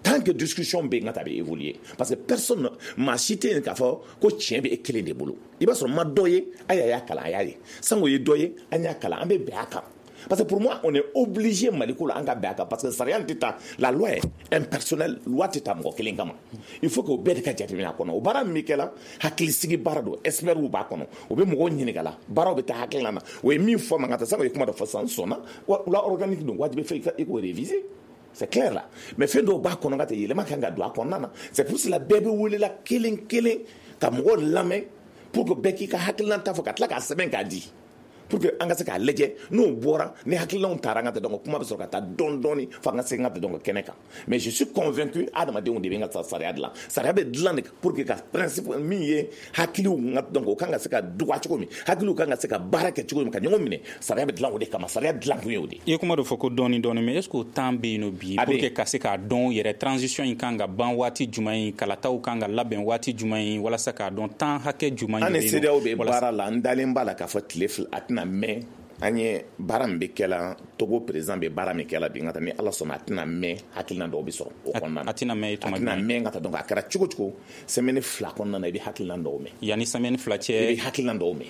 Tant que discussion bɛ yen, ka taa bɛ évoluer, parce que personne, maa si tɛ yen k'a fɔ ko tiɲɛ bɛ e kelen de bolo. I b'a sɔrɔ ma dɔ ye, a y'a kalan, a y'a ye. Sango ye dɔ ye, an y'a kalan, an bɛ bɛn a kan. Parce que pour moi, on est obligé Maliko la an ka bɛn a kan, parce que sariya tɛ taa, la loi est impersonnelle, loi tɛ taa mɔgɔ kelen kama. Il faut que o bɛɛ de ka jateminɛ a kɔnɔ. O baara min bɛ kɛ la, hakilisigi baara don, experts b'a kɔnɔ, o bɛ mɔgɔw ɲininka la, baaraw bɛ taa hakilina na. O ye min fɔ ma, ka taa sango ye kuma dɔ fɔ sisan, n sɔnna, loi organique don, wajibi fɛ i k'o réviser. C'est clair là. Mais fɛn dɔw b'a kɔnɔ ka tɛ yɛlɛma kan ka don a kɔnɔna na. C'est pour cela bɛɛ bɛ welela kelen kelen ka mɔgɔw lamɛn pour que bɛɛ k'i ka hakilina ta fɔ, ka tila k'a sɛbɛn k'a di. Pour que an ka se k'a lajɛ, n'o bɔra ni hakilinaw taara an ka taa, donc kuma bɛ sɔrɔ ka taa dɔɔni dɔɔni fo an ka se n ka taa donc kɛnɛ kan. Mais je suis convaincu, adamadenw de bɛ n ka sariya dilan. Sariya bɛ dilan de pour que ka principe min ye hakiliw n ka, donc o kan ka se ka dɔgɔya cogo min, hakiliw kan ka se ka baara kɛ cogo min, ka ɲɔgɔn minɛ. Sariya bɛ dilan o de kama. Sariya dilan kun ye o de. I ye kuma dɔ fɔ ko dɔɔni dɔɔni, mais est ce que o temps bɛ yen nɔ bi pour que ka se k'a dɔn yɛrɛ, transition in kan ka ban waati jumɛn ye, kalataw kan ka labɛn waati jumɛn ye, walasa k'a dɔn temps hakɛ jumɛn de bɛ yen? An ni CEDEAO bɛ baara la. N dalen b'a la k'a fɔ tile fila a tɛna mɛn. An ye baara min bɛ kɛ la, Togo président bɛ baara min kɛ la bi, n ka taa, ni Ala sɔnna, a tɛna mɛn, hakilina dɔw bɛ sɔrɔ o kɔnɔna na. A tɛna mɛn? A tɛna mɛn ka taa. Donc a kɛra cogo cogo, semaine fila kɔnɔna na, i bɛ hakilina dɔw mɛn. Yanni semaine fila cɛ? I bɛ hakilina dɔw mɛn.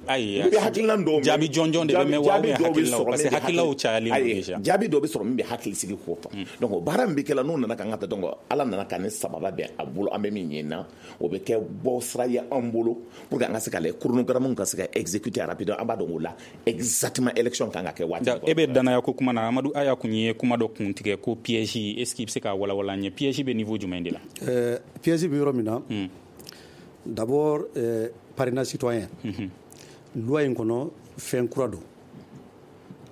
Ayi, i bɛ hakilina dɔw mɛn. Jaabi jɔnjɔn de bɛ mɛn wa, ou bien hakililaw? Parce que hakililaw cayalen don déjà. Jaabi dɔw bɛ sɔrɔ min bɛ hakili sigi ko fɔ. Donc o baara min bɛ kɛ la, n'o nana ka n ka taa, donc Ala nana ka ni sababa bɛn a bolo, an bɛ min ɲini na, o bɛ kɛ bɔ sira ye an bolo pour que an ka se ka lajɛ chronogramme ka se ka exécuter rapidement. An b'a dɔn o la exactement élection kan ka kɛ waati. E bɛ danaya ko kuma na, Amadu Aya kun ye kuma dɔ kun tigɛ ko piège. Est ce que i bɛ se k'a walawala an ye? Piège bɛ niveau jumɛn de la? euh, piège bɛ yɔrɔ min na, mm. d'abord euh, parrainage citoyen, mm -hmm. loi in kɔnɔ, fɛn kura don.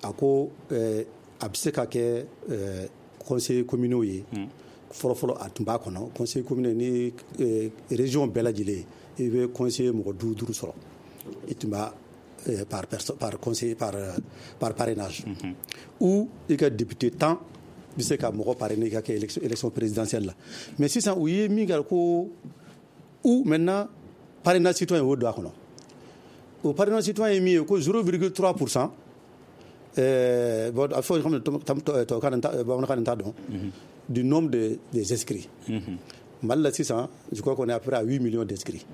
A ko euh, a bɛ se ka kɛ euh, conseil communaux ye. mm. Fɔlɔ-fɔlɔ a tun b'a kɔnɔ conseil communaux ni euh, région bɛɛ lajɛlen, i bɛ conseiller mɔgɔ duuru duuru sɔrɔ, i tun b'a par, par conseiller, par, par parrainage. Mm -hmm. Ou i ka député tan bɛ se ka mɔgɔ parrainer i ka kɛ élection, élection présidentielle la. Mais sisan u ye min kɛ ko ou maintenant parrainage citoyen, o don a kɔnɔ. O parrainage citoyen ye min ye ko zéro virgule trois pour cent, euh, bon, a fɔ comme bamanankan nin t'a dɔn, du nombre de, des inscrits. Mm -hmm. Mali la sisan, je crois qu'on est à peu près à huit millions d'inscrits.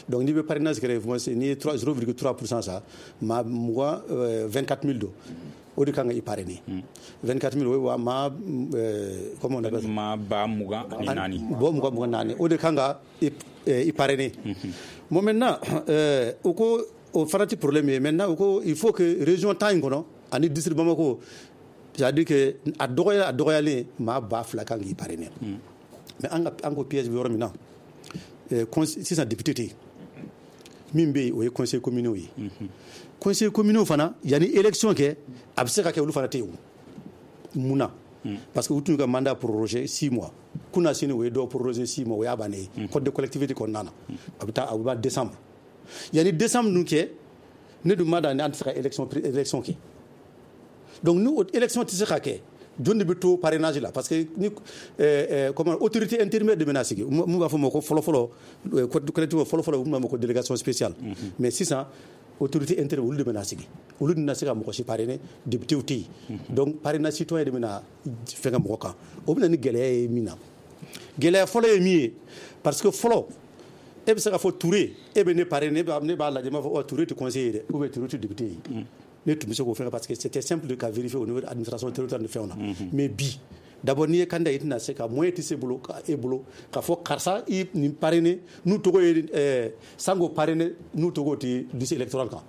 Donc n'i bɛ parrainage kɛ, n'i ye zéro virgule trois pour cent ça, maa mugan, vingt-quatre mille don, o de kan ka i parrainer. vingt-quatre mille, o ye wa maa, comment on appelle ça? Maa ba mugan ani naani. Bɔ mugan mugan naani, o de kan ka i parrainer. Bon, maintenant o ko o fana tɛ problème ye. Maintenant o ko il faut que région tan in kɔnɔ ani district Bamako, c'est à dire que a dɔgɔya a dɔgɔyalen maa ba fila kan k'i parrainer. Mais an ka an ko piège bɛ yɔrɔ min na, sisan député tɛ yen. Min bɛ yen, o ye conseil communaux ye. Conseil communaux fana, yanni élection kɛ, a bɛ se ka kɛ olu fana tɛ yen. O mun na? Parce que u tun ka mandat prorogé six mois, kunna sini o ye dɔw prorogé six mois, o y'a bannen ye. Code de collectivité kɔnɔna na, a bɛ taa, a bɛ ban décembre. Yanni décembre ninnu kɛ, ne dun ma da ni an tɛ se ka élection élection kɛ. Donc ni élection tɛ se ka kɛ, jɔn de bɛ to parrainage la? Parce que ni euh, comment, autorité intérimaire de bɛna sigi, mun b'a fɔ ma ko fɔlɔ-fɔlɔ code collectivité, fɔlɔ-fɔlɔ u b'a ma ko délégation spéciale. mm -hmm. Mais sisan autorité intérimaire, olu de bɛna sigi, olu de bɛna se ka mɔgɔ si parrainer, député tɛ yen. Donc parrainage citoyen de bɛna fɛnkɛ mɔgɔ kan. O bɛna ni gɛlɛya ye min na, gɛlɛya fɔlɔ ye min ye, parce que fɔlɔ e bɛ se ka fɔ Touré, e bɛ ne parrainer, ne b'a lajɛ, n b'a fɔ ɔ Touré tɛ conseiller ye dɛ, ou bien Touré tɛ député ye. Ne tun bɛ se k'o fɛn parce que c'était simple de ka vérifier au niveau de l'administration territoriale ni fɛnw na. Mais bi, d'abord n'i ye candidat, i tɛna se ka moyen tɛ se bolo ka e bolo k'a fɔ karisa i nin parrainer, n'u tɔgɔ ye ɛɛ Sango parrainer, n'u tɔgɔ tɛ liste électorale kan,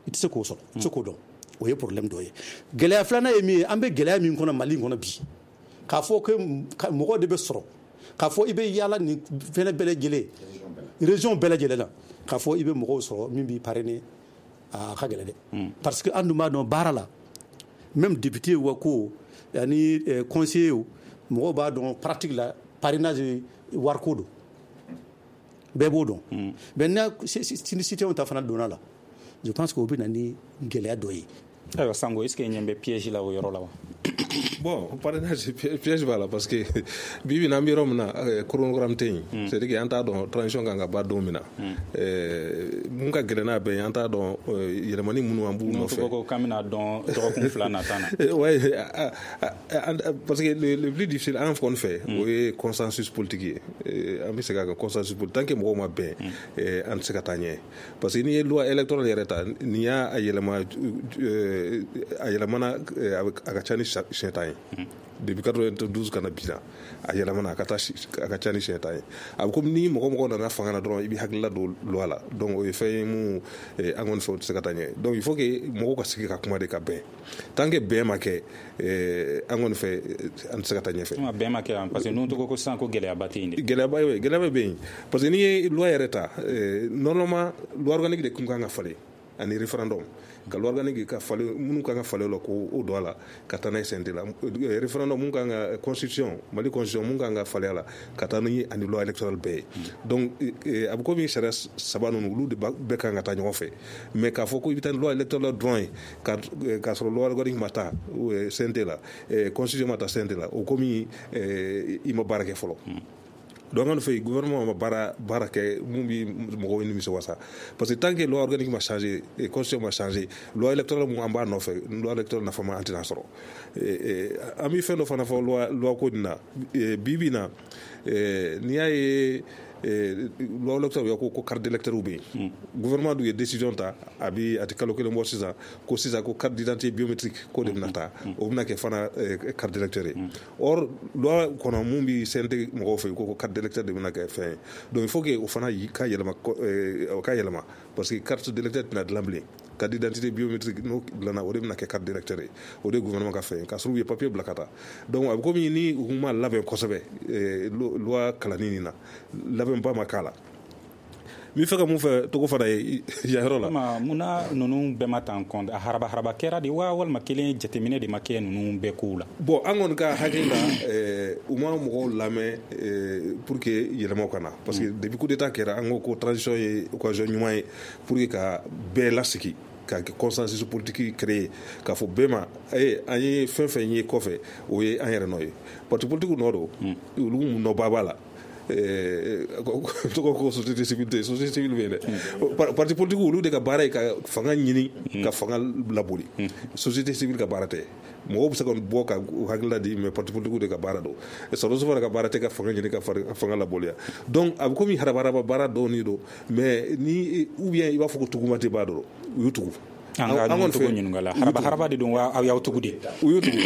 i tɛ se k'o sɔrɔ, i tɛ se k'o dɔn. O ye problème dɔ ye. Gɛlɛya filanan ye min ye, an bɛ gɛlɛya min kɔnɔ Mali in kɔnɔ bi, k'a fɔ ko mɔgɔ de bɛ sɔrɔ k'a fɔ i bɛ yaala nin fɛnɛ bɛɛ lajɛlen, région bɛɛ lajɛlen na, k'a fɔ i bɛ mɔgɔw sɔrɔ min b'i parrainer, a ka gɛlɛn dɛ. Parce que an dun b'a dɔn baara la, même député wa ko ani conseiller, mɔgɔw b'a dɔn pratique la, parrainage wariko don, bɛɛ b'o dɔn. Mais n'a ni citoyen ta fana donna la, je pense que o bɛ na ni gɛlɛya dɔ ye. Ayiwa Sango, est ce que ɲɛ bɛ piège la o yɔrɔ la wa? Bon, parrainage, piège b'a la, parce que bi bi in na, an bɛ yɔrɔ min na, chronogramme tɛ yen. C'est à dire que an t'a dɔn transition kan ka ban don min na. Mun ka gɛlɛn n'a bɛɛ ye, an t'a dɔn yɛlɛmani minnu an b'u nɔfɛ. Ko k'an bɛna dɔn dɔgɔkun fila nata na. Ouais, parce que le, le plus difficile an kɔni fɛ, o ye consensus politique ye. An bɛ segin a kan, consensus politique, tant que mɔgɔw ma bɛn, an tɛ se ka taa ɲɛ. Parce que n'i ye loi électorale yɛrɛ ta, n'i y'a yɛlɛma, a yɛlɛmana a ka ca ni siɲɛ tan ye depuis quatre-vingt-douze ka na bi la, a yɛlɛmana a ka taa a ka ca ni siɲɛ tan ye. A bɛ komi ni mɔgɔ mɔgɔ nana fanga na dɔrɔn, i bɛ hakilila don loi la. Donc o ye fɛn ye mun an kɔni fɛ, o tɛ se ka taa ɲɛ. Donc il faut que mɔgɔw ka sigi ka kuma de ka bɛn. Tant que bɛn ma kɛ, an kɔni fɛ, an tɛ se ka taa ɲɛfɛ. Bɛn ma kɛ, parce que ninnu tɔgɔ ko sisan ko gɛlɛyaba tɛ yen dɛ. Gɛlɛyaba gɛlɛyaba bɛ yen, parce que n'i ye loi yɛrɛ ta, normalement loi organique de kun kan ka falen. ani référendum ka loi organique ka falen minnu kan ka falen la ko o don a la ka taa n'a ye C N T la, référendum mun kan ka constitution Mali constitution mun kan ka falen a la ka taa ni ani loi électorale bɛɛ ye. Donc a bɛ komi sariya saba ninnu olu de bɛɛ kan ka taa ɲɔgɔn fɛ, mais k'a fɔ ko i bɛ taa ni loi électorale dɔrɔn ye k'a sɔrɔ loi organique ma taa C N T la, constitution ma taa C N T la, o komi i ma baara kɛ fɔlɔ. Donc an fɛ gouvernement ma baara baara kɛ mun bi mɔgɔw nimisi wasa, parce que tant que loi organique ma changé, constitution ma changé, loi électorale mun an b'a nɔfɛ, loi électorale nafa ma an tɛna sɔrɔ. An bɛ fɛn dɔ fana fɔ loi loi ko nin na bi bi in na, n'i y'a ye loi électorale ko ko carte d'électeur bɛ yen, gouvernement dun ye décision ta a bi a tɛ kalo kelen bɔ sisan ko sisan ko carte d'identité biométrique ko de bɛna ta, o bɛna kɛ fana carte d'électeur ye. Or loi kɔnɔ mun bi C N T mɔgɔw fɛ ko ko carte d'électeur de bɛna kɛ fɛn ye, donc il faut que o fana ka yɛlɛma o ka yɛlɛma, parce que carte d'électeur tɛna dilan bilen, carte d'identité biométrique n'o dilanna o de bɛna kɛ carte d'électeur ye, o de ye gouvernement ka fɛn ye, k'a sɔrɔ u ye papier bila ka taa. Donc a bɛ komi ni u ma labɛn kosɛbɛ loi kalanni nin na, labɛnba ma k'a la. N bɛ fɛ ka mun fɛ Togo fana ye yan yɔrɔ la. Munna ninnu bɛɛ ma ta en compte? A haraba haraba kɛra de wa, walima kelen jateminɛ de ma kɛ ninnu bɛɛ kow la? Bon, an kɔni ka hakili la, u ma mɔgɔw lamɛn pour que yɛlɛmaw ka na, parce que depuis coup d'état kɛra an ko ko transition ye occasion ɲuman ye pour que ka bɛɛ lasigi, ka consensus politique créer, k'a fɔ bɛɛ ma an ye fɛn fɛn ye kɔfɛ o ye an yɛrɛ nɔ ye. Parti politique nɔ don, olu nɔba b'a la. Tɔgɔ ko société civile tɛ, société civile bɛ yen dɛ. Parti politique olu de ka baara ye ka fanga ɲini, ka fanga laboli. Société civile ka baara tɛ. Mɔgɔw bɛ se ka bɔ ka hakilila di, mais parti politique de ka baara don. Sɔrɔdasiw fana ka baara tɛ ka fanga ɲini ka fanga laboliya. Donc a bɛ komi harabaraba baara dɔɔni don, mais ni ou bien i b'a fɔ ko tuguma tɛ b'a dɔn, u y'u tugu. An ka Togo ɲininka la, haraba haraba de don wa aw y'aw tugu de? U y'u tugu.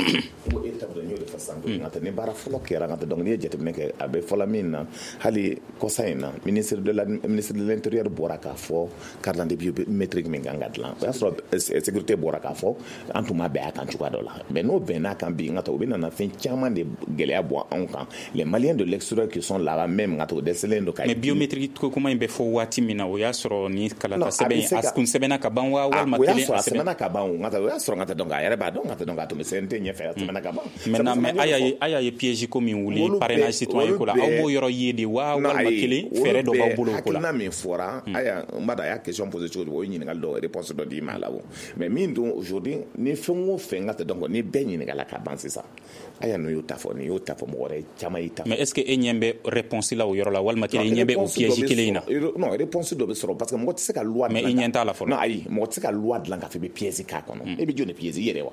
O étape dɔ n y'o de fɔ sisan, nka tɛ ni baara fɔlɔ kɛra nka tɛ, donc n'i ye jateminɛ kɛ a bɛ fɔla min na, hali kɔsa in na ministre de la ministre de l'intérieur bɔra k'a fɔ carte d'identité biométrique min kan ka dilan, o y'a sɔrɔ sécurité bɔra k'a fɔ an tun ma bɛn a kan cogoya dɔ la, mais n'o bɛnn'a kan bi nka tɛ, o bɛ nana fɛn caman de gɛlɛya bɔ anw kan, les Maliens de l'extérieur qui sont là-bas même nka tɛ, o dɛsɛlen don ka. Mais biométrique ko kuma in bɛ fɔ waati min na, o y'a sɔrɔ ni kalata sɛbɛn a kun sɛbɛnna ka ban wa, walima o y'a sɔrɔ a sɛbɛnna ka ban o, nka o y'a sɔrɔ nka tɛ, donc a yɛrɛ b'a dɔn nka tɛ, donc a tun bɛ C N T ɲɛfɛ, a sɛbɛnna ka ban. Maintenant, mais a y'a ye a y'a ye piège ko min wuli parrainage citoyen ko la, aw m'o yɔrɔ ye de wa, walima kelen fɛɛrɛ dɔ b'aw bolo o ko la? Hakilina min fɔra, aya n b'a dɔn a y'a question posé cogo o ye ɲininkali dɔ réponse dɔ d'i ma a la o, mais min don aujourd'hui ni fɛn o fɛn nka tɛ, donc ni bɛɛ ɲininkala ka ban sisan, aya n'o y'o ta fɔ, nin y'o ta fɔ, mɔgɔ wɛrɛ caman y'i ta fɔ. Mais est ce que e ɲɛ bɛ réponse la o yɔrɔ la, walima kelen ɲɛ bɛ o piège kelen in na? Non, réponse dɔ bɛ sɔrɔ parce que mɔgɔ tɛ se ka loi. Mais i ɲɛ t'a la fɔlɔ. Non, ayi, mɔgɔ tɛ se ka loi dilan k'a fɔ i bɛ pièce k'a kɔnɔ, e bɛ jɔn de pièce i yɛrɛ wa?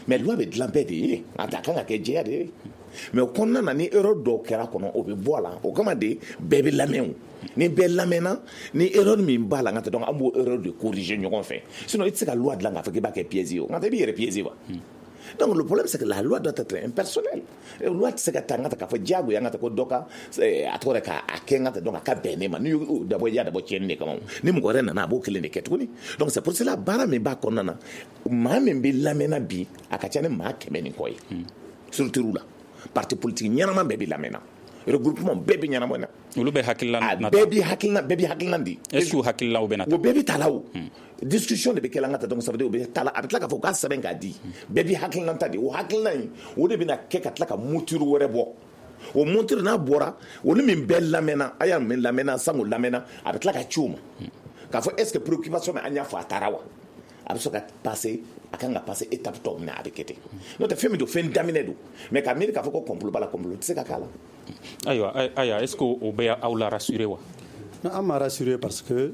Mais loi bɛ dilan bɛɛ de ye, a kan ka kɛ jɛya de ye. Mais o kɔnɔna na ni erreur dɔw kɛra kɔnɔ, o bɛ bɔ a la, o kama de bɛɛ bɛ lamɛn o. Ni bɛɛ lamɛnna, ni erreur min b'a la, nka tɛ, donc an b'o erreur de corriger ɲɔgɔn fɛ. Sinon i tɛ se ka loi dilan k'a fɔ k'i b'a kɛ pièce ye o, nka tɛ i b'i yɛrɛ pièce wa. Donc le problème c'est que la loi doit être impersonnelle. Loi tɛ se ka ta n ka ta k'a fɔ diyagoya n ka ta ko dɔ ka a tɔgɔ de k'a kɛ n ka ta, donc a ka bɛn ne ma, n'i y'o dabɔ i y'a dabɔ tiɲɛni de kama, ni mɔgɔ wɛrɛ nana a b'o kelen de kɛ tuguni. Donc c'est pour cela baara min b'a kɔnɔna na, maa min bɛ lamɛnna bi a ka ca ni maa kɛmɛ ni kɔ ye structure la, parti politique ɲɛnama bɛɛ bɛ lamɛnna, regroupement bɛɛ bɛ ɲɛnabɔ na, olu bɛ hakilila na, bɛɛ bɛ hakilina bɛɛ bɛ hakilina di. Est ce que hakililaw bɛ na? O bɛɛ bɛ ta la o. Discussion de bɛ kɛ la n ka ta, donc ça veut dire o bɛ ta la, a bɛ tila k'a fɔ k'a sɛbɛn k'a di, bɛɛ bɛ hakilina ta di, o hakilina in o de bɛna kɛ ka tila ka mouture wɛrɛ bɔ, o mouture n'a bɔra o ni min bɛɛ lamɛnna, a y'a min lamɛnna sango lamɛnna, a bɛ tila ka ci o ma k'a fɔ est ce que préoccupation min an y'a fɔ a taara wa, a bɛ sɔrɔ ka passer, a kan ka passer étape tɔ min na a bɛ kɛ ten. N'o tɛ fɛn min don, fɛn daminɛ don, mais ka miiri k'a fɔ ko complot b'a la, complot tɛ se ka k'a la. Ayiwa, ayiwa, est ce que o bɛ aw la rassurer wa? Non, an ma rassurer parce que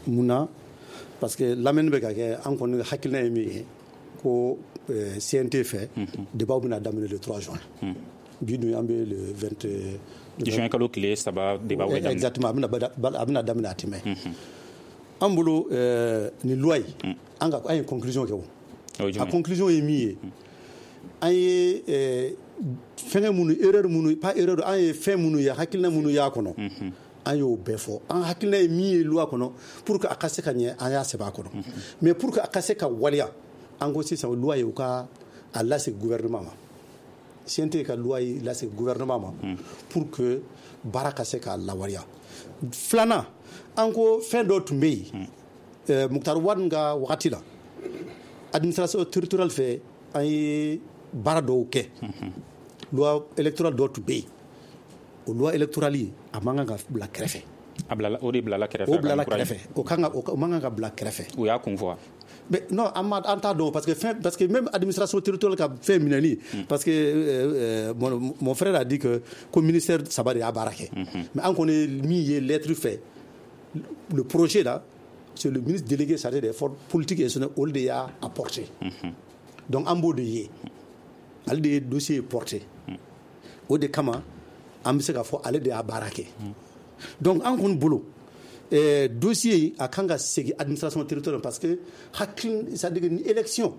munna, parce que lamɛnni bɛ ka kɛ, an kɔni hakilina ye min ye ko C N T fɛ débat bɛna daminɛ le trois juin. Bi dun an bɛ le vingt juin kalo tile saba débat bɛ daminɛ. Exactement, a bɛna a bɛna daminɛ a tɛmɛ. An bolo nin loi in, an ka an ye conclusion kɛ o. A conclusion ye min ye, an ye fɛngɛ minnu erreur minnu pas erreur, an ye fɛn minnu ye hakilina minnu y'a kɔnɔ, an y'o bɛɛ fɔ. An hakilina ye min ye loi kɔnɔ pour que a ka se ka ɲɛ, an y'a sɛbɛn a kɔnɔ. Mais pour que a ka se ka waleya, an ko sisan loi ye u ka a lasegin gouvernement ma. C N T ka loi ye lasegin gouvernement ma pour que baara ka se k'a lawaleya. Filanan, an ko fɛn dɔ tun bɛ yen euh, Moctar Ouane ka wagati la, administration territoriale fɛ, an ye baara dɔw kɛ. Loi électorale dɔw tun bɛ yen, o loi électorale a man kan ka bila kɛrɛfɛ. A bilala, o de bilala kɛrɛfɛ. O bilala kɛrɛfɛ, o kan ka, o man kan ka bila kɛrɛfɛ. U y'a kun fɔ wa? Mais non, an ma, an t'a dɔn, parce que fɛn, parce que même administration territoriale ka fɛn minɛli, parce que euh, mon, mon frère a dit que ko ministère saba de y'a baara kɛ. Mais an kɔni min ye lettre fɛ, le projet là, c'est le ministre délégué chargé des forces politiques et institutionnelles, olu de y'a apporté. Donc an b'o de ye, ale de ye dossier porté. O de kama an bɛ se k'a fɔ ale de y'a baara kɛ. Donc an kɔni bolo, eh, dossier a kan ka segin administration territoriale, parce que hakili, c'est à dire que ni élection,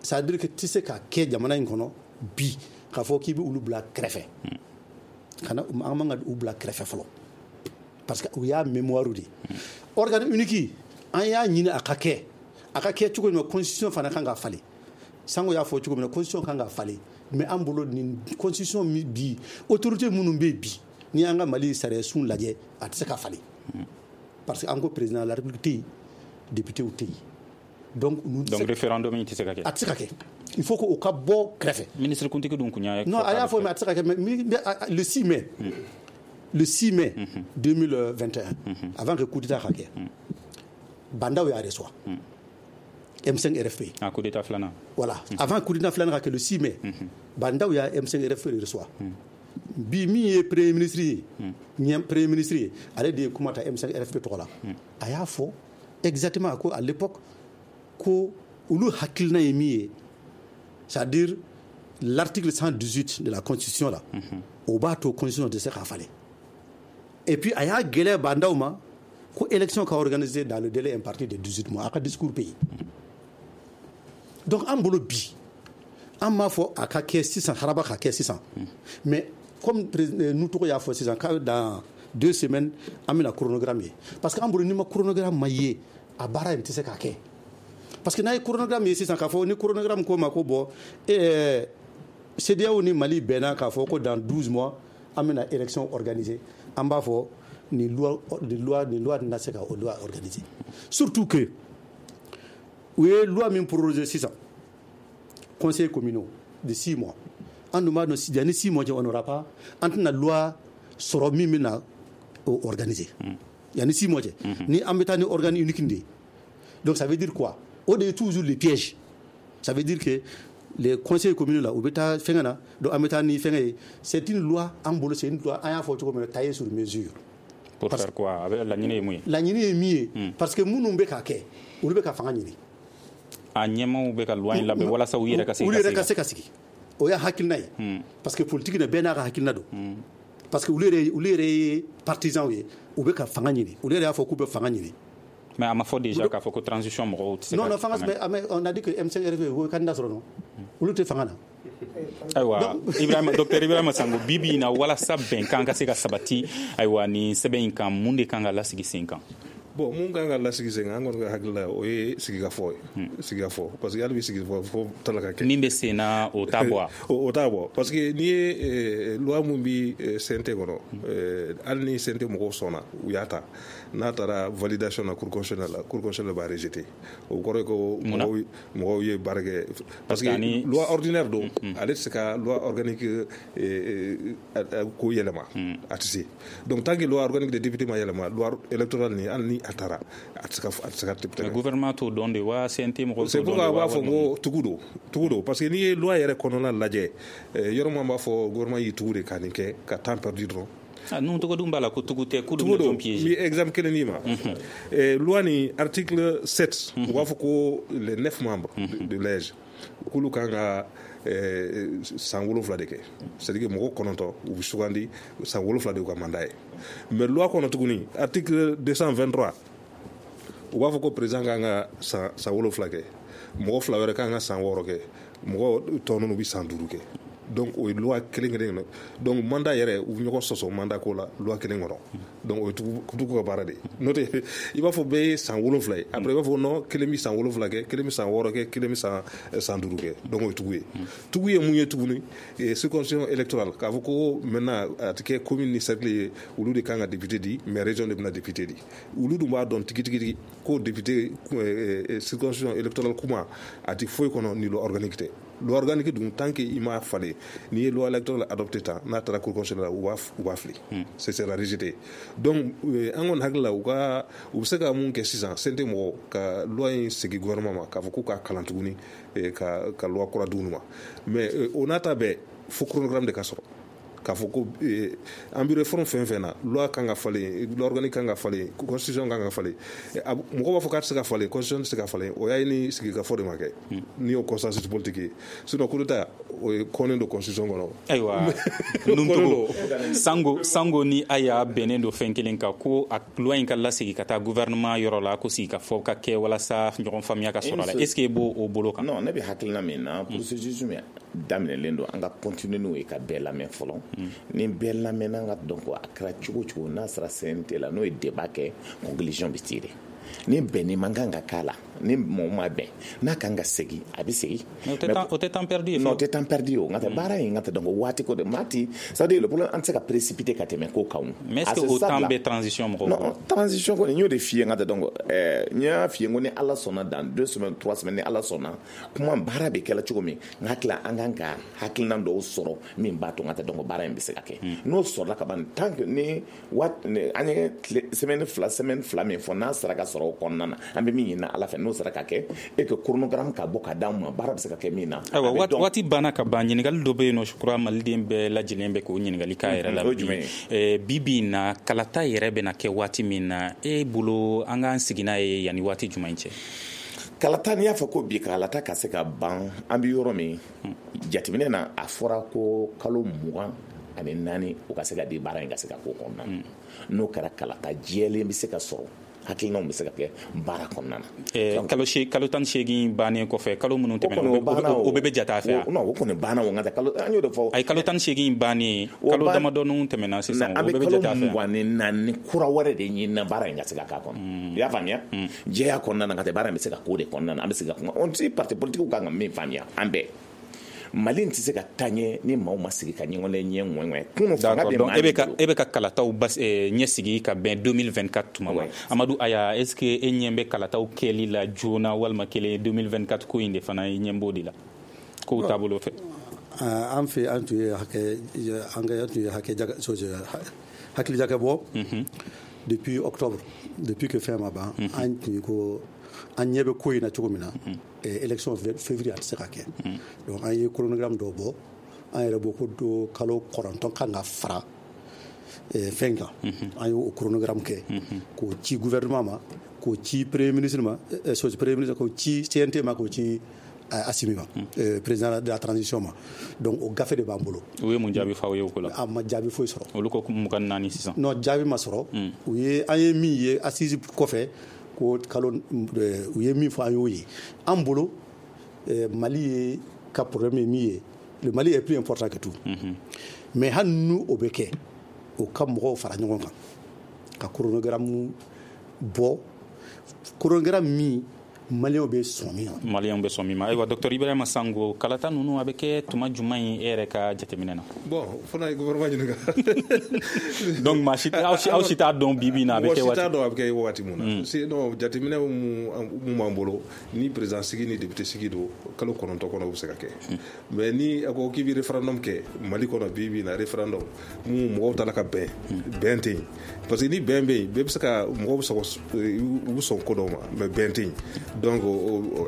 c'est à dire que tɛ se ka kɛ jamana in kɔnɔ bi k'a fɔ k'i bɛ olu bila kɛrɛfɛ. Kana, an man ka u bila kɛrɛfɛ fɔlɔ, parce que u y'a mémoire de. Organe unique, an y'a ɲini a ka kɛ, a ka kɛ cogo min na, constitution fana kan ka falen. Sango y'a fɔ cogo min na, constitution kan ka falen, mais an bolo nin constitution min bi, autorité minnu bɛ bi, n'i y'an ka Mali sariya sun lajɛ, a tɛ se ka falen, parce que an ko président de la République tɛ yen, député tɛ yen. Donc donc référendum in tɛ se ka kɛ. A tɛ se ka kɛ, il faut que o ka bɔ kɛrɛfɛ. Ministre kuntigi dun kun y'a Non, a y'a fɔ, mais a tɛ se ka kɛ. Mais le six mai, le six mai deux mille vingt et un, avant que coup d'état ka kɛ, Bah N'Daw y'a reçoit M cinq R F P. Ah, coup d'état filanan. Voilà, avant coup d'état filanan ka kɛ, le six mai, Bah N'Daw y'a M cinq R F P reçoit. Bi min ye premier ministre ye, ɲɛ premier ministre ye, ale de ye kuma ta M cinq R F P tɔgɔ la. A y'a fɔ exactement ko à l'époque ko olu hakilina ye min ye, c'est-à-dire l'article cent dix-huit de la constitution là, o b'a to constitution tɛ se k'a falen. Et puis a y'a gɛlɛya Bah N'Daw ma ko élection ka organiser dans le délai imparti de dix-huit mois, a ka discours bɛ yen. Donc an bolo bi, an m'a fɔ a ka kɛ sisan, haraba ka kɛ sisan, mais comme nu tɔgɔ y'a fɔ sisan, k'a dans deux semaines an bɛna chronogramme ye, parce que an bolo n'i ma chronogramme ma ye, a baara in tɛ se ka kɛ. Parce que n'a ye chronogramme ye sisan, k'a fɔ ni chronogramme ko ma ko bon, eh, CEDEAO ni Mali bɛnna k'a fɔ ko dans douze mois an bɛna élection organiser, an b'a fɔ nin loi, nin loi, nin loi tɛna se ka o loi organiser. Surtout que u ye loi min proroger sisan, conseil communaux de six mois, an dun b'a dɔn yanni six mois cɛ, on n'aura pas, an tɛna loi sɔrɔ min bɛna o organiser yanni six mois cɛ, ni an bɛ taa ni organe unique de ye. Donc ça veut dire quoi? O de ye toujours le piège. Ça veut dire que les conseils communaux là, u bɛ taa fɛngɛ na, donc an bɛ taa ni fɛngɛ ye. C'est une loi, an bolo c'est une loi, an y'a fɔ cogo min na, taillée sur mesure. Pour faire quoi? Laɲini ye mun ye? Laɲini ye min ye, parce que minnu bɛ k'a kɛ, olu bɛ ka fanga ɲini. A ɲɛmaaw bɛ ka loi in labɛn walasa u yɛrɛ ka se olu yɛrɛ ka se ka sigi. O y'a hakilina ye, parce que politique na, bɛɛ n'a ka hakilina don. Parce que olu yɛrɛ, olu yɛrɛ ye partisans ye, u bɛ ka fanga ɲini, olu yɛrɛ y'a fɔ k'u bɛ fanga ɲini. Mais a ma fɔ déjà k'a fɔ ko transition mɔgɔw tɛ se ka Non, non, fanga, mais on a dit que M cinq R F P o ye candidat sɔrɔ, non, olu tɛ fanga na. Ayiwa, Ibrahima, docteur Ibrahima Sango, bi bi in na, walasa bɛnkan ka se ka sabati, ayiwa, nin sɛbɛn in kan, mun de kan ka lasigi sen kan? Bon, mun kan ka lasigi sen kan, an kɔni ka hakili la, o ye sigikafɔ ye, sigikafɔ, parce que hali bi sigikafɔ fo tala ka kɛ. Min bɛ sen na, o t'a bɔ wa? O t'a bɔ, parce que n'i ye loi mun bi C N T kɔnɔ, hali ni C N T mɔgɔw sɔnna, u y'a ta, n'a taara validation na cour constitutionnelle la, cour constitutionnelle b'a rejeter. O kɔrɔ ye ko mɔgɔw mɔgɔw ye baara kɛ, parce que loi ordinaire don, ale tɛ se ka loi organique ko yɛlɛma, a tɛ se. Donc tant que loi organique de député ma yɛlɛma, loi électorale ni hali ni a taara, a tɛ se ka, a tɛ se ka Mais gouvernement t'o dɔn de wa? C N T mɔgɔw t'o dɔn de wa? C'est pourquoi a b'a fɔ ko tugu don, tugu don, parce que n'i ye loi yɛrɛ kɔnɔna lajɛ, yɔrɔ min b'a fɔ gouvernement y'i tugu de ka nin kɛ, ka temps perdu dɔrɔn. Ah, nun tɔgɔ dun b'a la ko tugu tɛ, k'olu bɛna jɔn piéger? N bɛ exemple kelen d'i ma. Loi ni article sept, u b'a fɔ ko les neuf membres de l'A E G, k'olu kan ka san wolonwula de kɛ, c'est à dire que mɔgɔ kɔnɔntɔn u bɛ sugandi, san wolonwula de y'u ka mandat ye. Mais loi kɔnɔ tuguni, article deux cent vingt-trois, u b'a fɔ ko président kan ka san san wolonwula kɛ, mɔgɔ fila wɛrɛ kan ka san wɔɔrɔ kɛ, mɔgɔ tɔ ninnu bɛ san duuru kɛ. Donc o ye loi kelen kelen kɔnɔ. Donc mandat yɛrɛ u bɛ ɲɔgɔn sɔsɔ mandat ko la loi kelen kɔnɔ. Donc o ye tugu ka baara de ye. N'o tɛ i b'a fɔ bɛɛ ye san wolonfila ye, après i b'a fɔ non, kelen bɛ san wolonfila kɛ, kelen bɛ san wɔɔrɔ kɛ, kelen bɛ san san duuru kɛ. Donc o ye tugu ye. Tugu ye mun ye tuguni? Circonscription électorale, k'a fɔ ko maintenant a tɛ kɛ commune ni cercle ye, olu de kan ka député di, mais région de bɛna député di. Olu dun b'a dɔn tigitigi ko député circonscription électorale kuma a tɛ foyi kɔnɔ ni loi organique tɛ. Loi organique dun, tant que i m'a falen, n'i ye loi électorale adopté tan, n'a taara cour constitutionnelle la, u b'a u b'a fili, c'est sera rejeté. Donc an kɔni hakili la, u ka u bɛ se ka mun kɛ sisan? C N T mɔgɔw ka loi in segin gouvernement ma k'a fɔ k'u k'a kalan tuguni ka ka loi kura d'u ma. Mais o n'a ta bɛɛ, fo chronogramme de ka sɔrɔ k'a fɔ ko an bɛ réforme fɛn fɛn na, loi kan ka falen, loi organique kan ka falen, constitution kan ka falen. Mɔgɔw b'a fɔ k'a tɛ se ka falen, constitution tɛ se ka falen. O y'a ye ni sigikafɔ de ma kɛ, n'i y'o consensus politique ye. Sinon coup d'état, o ye kɔnnen don constitution kɔnɔ. Ayiwa, Nuntogo Sango, Sango ni Aya bɛnnen don fɛn kelen kan, ko a loi in ka lasegin ka taa gouvernement yɔrɔ la, ko sigikafɔ ka kɛ walasa ɲɔgɔn faamuya ka sɔrɔ a la. Est ce que e b'o o bolo kan? Non, ne bɛ hakilina min na, processus min daminɛlen don, an ka continuer n'o ye ka bɛɛ lamɛn fɔlɔ. Ni bɛɛ lamɛnna, an ka dɔn ko a kɛra cogo o cogo, n'a sera C N T la, n'o ye débat kɛ, conclusion bɛ tirer. Ni bɛnni man kan ka k'a la, ni mɔgɔ ma bɛn, n'a kan ka segin, a bɛ segin. O tɛ temps perdu ye. Non, o tɛ temps perdu ye. O n ka tɛ baara in, n ka tɛ dɔn ko waati ko de maa ti, c'est à dire le problème, an tɛ se ka précipiter ka tɛmɛ ko kan. Mais est-ce que o temps bɛ transition mɔgɔw? Non, transition kɔni, n y'o de f'i ye, n ka tɛ dɔn ko ɛɛ n y'a f'i ye ko ni Ala sɔnna, dans deux semaines, trois semaines, ni Ala sɔnna, kuma baara bɛ kɛla cogo min, n hakili an kan ka hakilina dɔw sɔrɔ min b'a to n ka tɛ dɔn ko baara in bɛ se ka kɛ. N'o sɔrɔla ka ban, tant que ni waati an ye semaine fila, semaine fila min fɔ, n'a sera ka sɔrɔ o kɔnɔna na, an bɛ min ɲini Ala fɛ, n'o sera ka kɛ et que chronogramme ka bɔ ka d'an ma, baara bɛ se ka kɛ min na. Ayiwa, waati banna ka ban. Ɲininkali dɔ bɛ yen nɔ, je crois maliden bɛɛ lajɛlen bɛ k'o ɲininkali k'a yɛrɛ la bi. Bi bi in na, kalata yɛrɛ bɛna kɛ waati min na, e bolo an k'an sigi n'a ye yanni waati jumɛn cɛ? Kalata, n'i y'a fɔ ko bi kalata ka se ka ban, an bɛ yɔrɔ min jateminɛ na, a fɔra ko kalo mugan ani naani o ka se ka di baara in ka se ka k'o kɔnɔna na. N'o kɛra, kalata jɛlen bɛ se ka sɔrɔ, hakilinaw bɛ se ka kɛ baara kɔnɔna na. Kalo kalo tan ni seegin bannen kɔfɛ, kalo minnu tɛmɛna, o bɛɛ bɛ jate a fɛ? Non, o kɔni banna o, n ka kalo an y'o de fɔ. Ayi, kalo tan ni seegin bannen, kalo damadɔnin tɛmɛna sisan, o bɛɛ bɛ jate a fɛ. An bɛ kalo mugan ni naani kura wɛrɛ de ɲini na baara in ka se ka k'a kɔnɔ. I y'a faamuya? Jɛya kɔnɔna na, ka tɛ baara in bɛ se ka k'o de kɔnɔna na, an bɛ se ka kuma. On ti parti politique kan ka min faamuya, an bɛɛ. Mali tɛ se ka taa ɲɛ ni maaw ma sigi ka ɲɔgɔn ɲɛ ŋɔɲɛ. Kunun fanga bɛ maa, e bɛ ka e bɛ ka kalataw bas ɲɛsigi ka bɛn deux mille vingt-quatre tuma ma. Amadu Aya, est-ce que e ɲɛ bɛ kalataw kɛli la joona walima kelen deux mille vingt-quatre ko in de fana i ɲɛ b'o de la kow taabolo fɛ? An fɛ, an tun ye hakɛ an ka tun ye hakɛ hakili jakabɔ depuis octobre, depuis que fɛn ma ban, an tun ko an ɲɛ bɛ ko in na cogo min na, élection février a tɛ se ka kɛ. Donc an ye chronogramme dɔw bɔ, an yɛrɛ bɔ ko do kalo kɔnɔntɔn kan ka fara fɛn kan. An y'o chronogramme kɛ k'o ci gouvernement ma, k'o ci premier ministre ma, premier ministre k'o ci C N T ma, k'o ci Assimi ma, président de la transition ma. Donc o gafe de b'an bolo. U ye mun jaabi f'aw ye o ko la? A ma jaabi foyi sɔrɔ. Olu ko mugan ni naani sisan. Non, jaabi ma sɔrɔ. U ye an ye min ye assise kɔfɛ, ko kalo u ye min fɔ, an y'o ye. An bolo, Mali ye ka problème ye min ye, le Mali est plus important que tout. Mais hali n'u o bɛ kɛ, o ka mɔgɔw fara ɲɔgɔn kan ka chronogramme bɔ, chronogramme min Maliyɛnw bɛ sɔn min ma. Maliyɛnw bɛ sɔn min ma. Ayiwa, docteur Ibrahima Sango, kalata ninnu a bɛ kɛ tuma jumɛn ye e yɛrɛ ka jateminɛ na? Bon, fana ye gouvernement ɲininka. Donc maa si aw si t'a dɔn bi bi in na a bɛ kɛ waati. Mɔgɔ si t'a dɔn a bɛ kɛ waati mun na. Sinon jateminɛ mun b'an bolo, ni président sigi ni député sigi don, kalo kɔnɔntɔn kɔnɔ o bɛ se ka kɛ. Mais ni a ko k'i bɛ référendum kɛ Mali kɔnɔ bi bi in na, référendum mun mɔgɔw taara ka bɛn, bɛn tɛ yen. Parce que ni bɛn bɛ yen, bɛɛ bɛ se ka mɔgɔw bɛ sɔn u bɛ sɔn ko dɔw ma, mais bɛn tɛ yen. Donc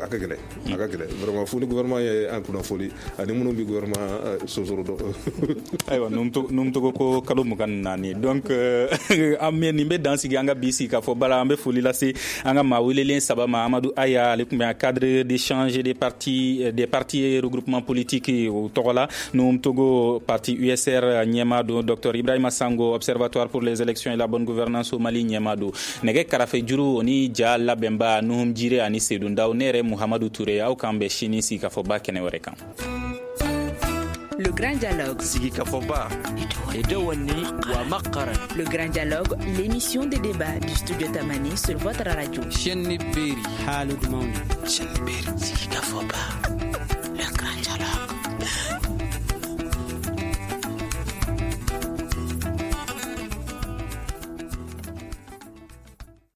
a ka gɛlɛn, a ka gɛlɛn vraiment, fo ni gouvernement ye an kunnafoni ani minnu bɛ gouvernement sonsoro dɔn. Ayiwa, Numutogo ko kalo mugan ni naani. Donc an bɛ nin bɛ dan sigi an ka bi sigi k'a fɔ bala. An bɛ foli lase an ka maa welelen saba ma. Amadu Aya, ale tun bɛ cadre d'échange des partis des partis et regroupements politiques o tɔgɔ la. Numutogo, parti U S R ɲɛmaa don. Docteur Ibrahima Sango, observatoire pour les élections et la bonne gouvernance au Mali ɲɛmaa don. Nɛgɛ karafe juru o ni ja labɛnba Nuhum Jire ani Seydou Ndaw, ne yɛrɛ Muhamadu Ture, aw k'an bɛn sini sigi k'a fɔ ba kɛnɛ wɛrɛ kan. Le Grand Dialogue. Sigikafɔba. Le Grand Dialogue, l'émission de débat du studio Tamani sur votre radio. Chaîne Beri. Sigikafɔba.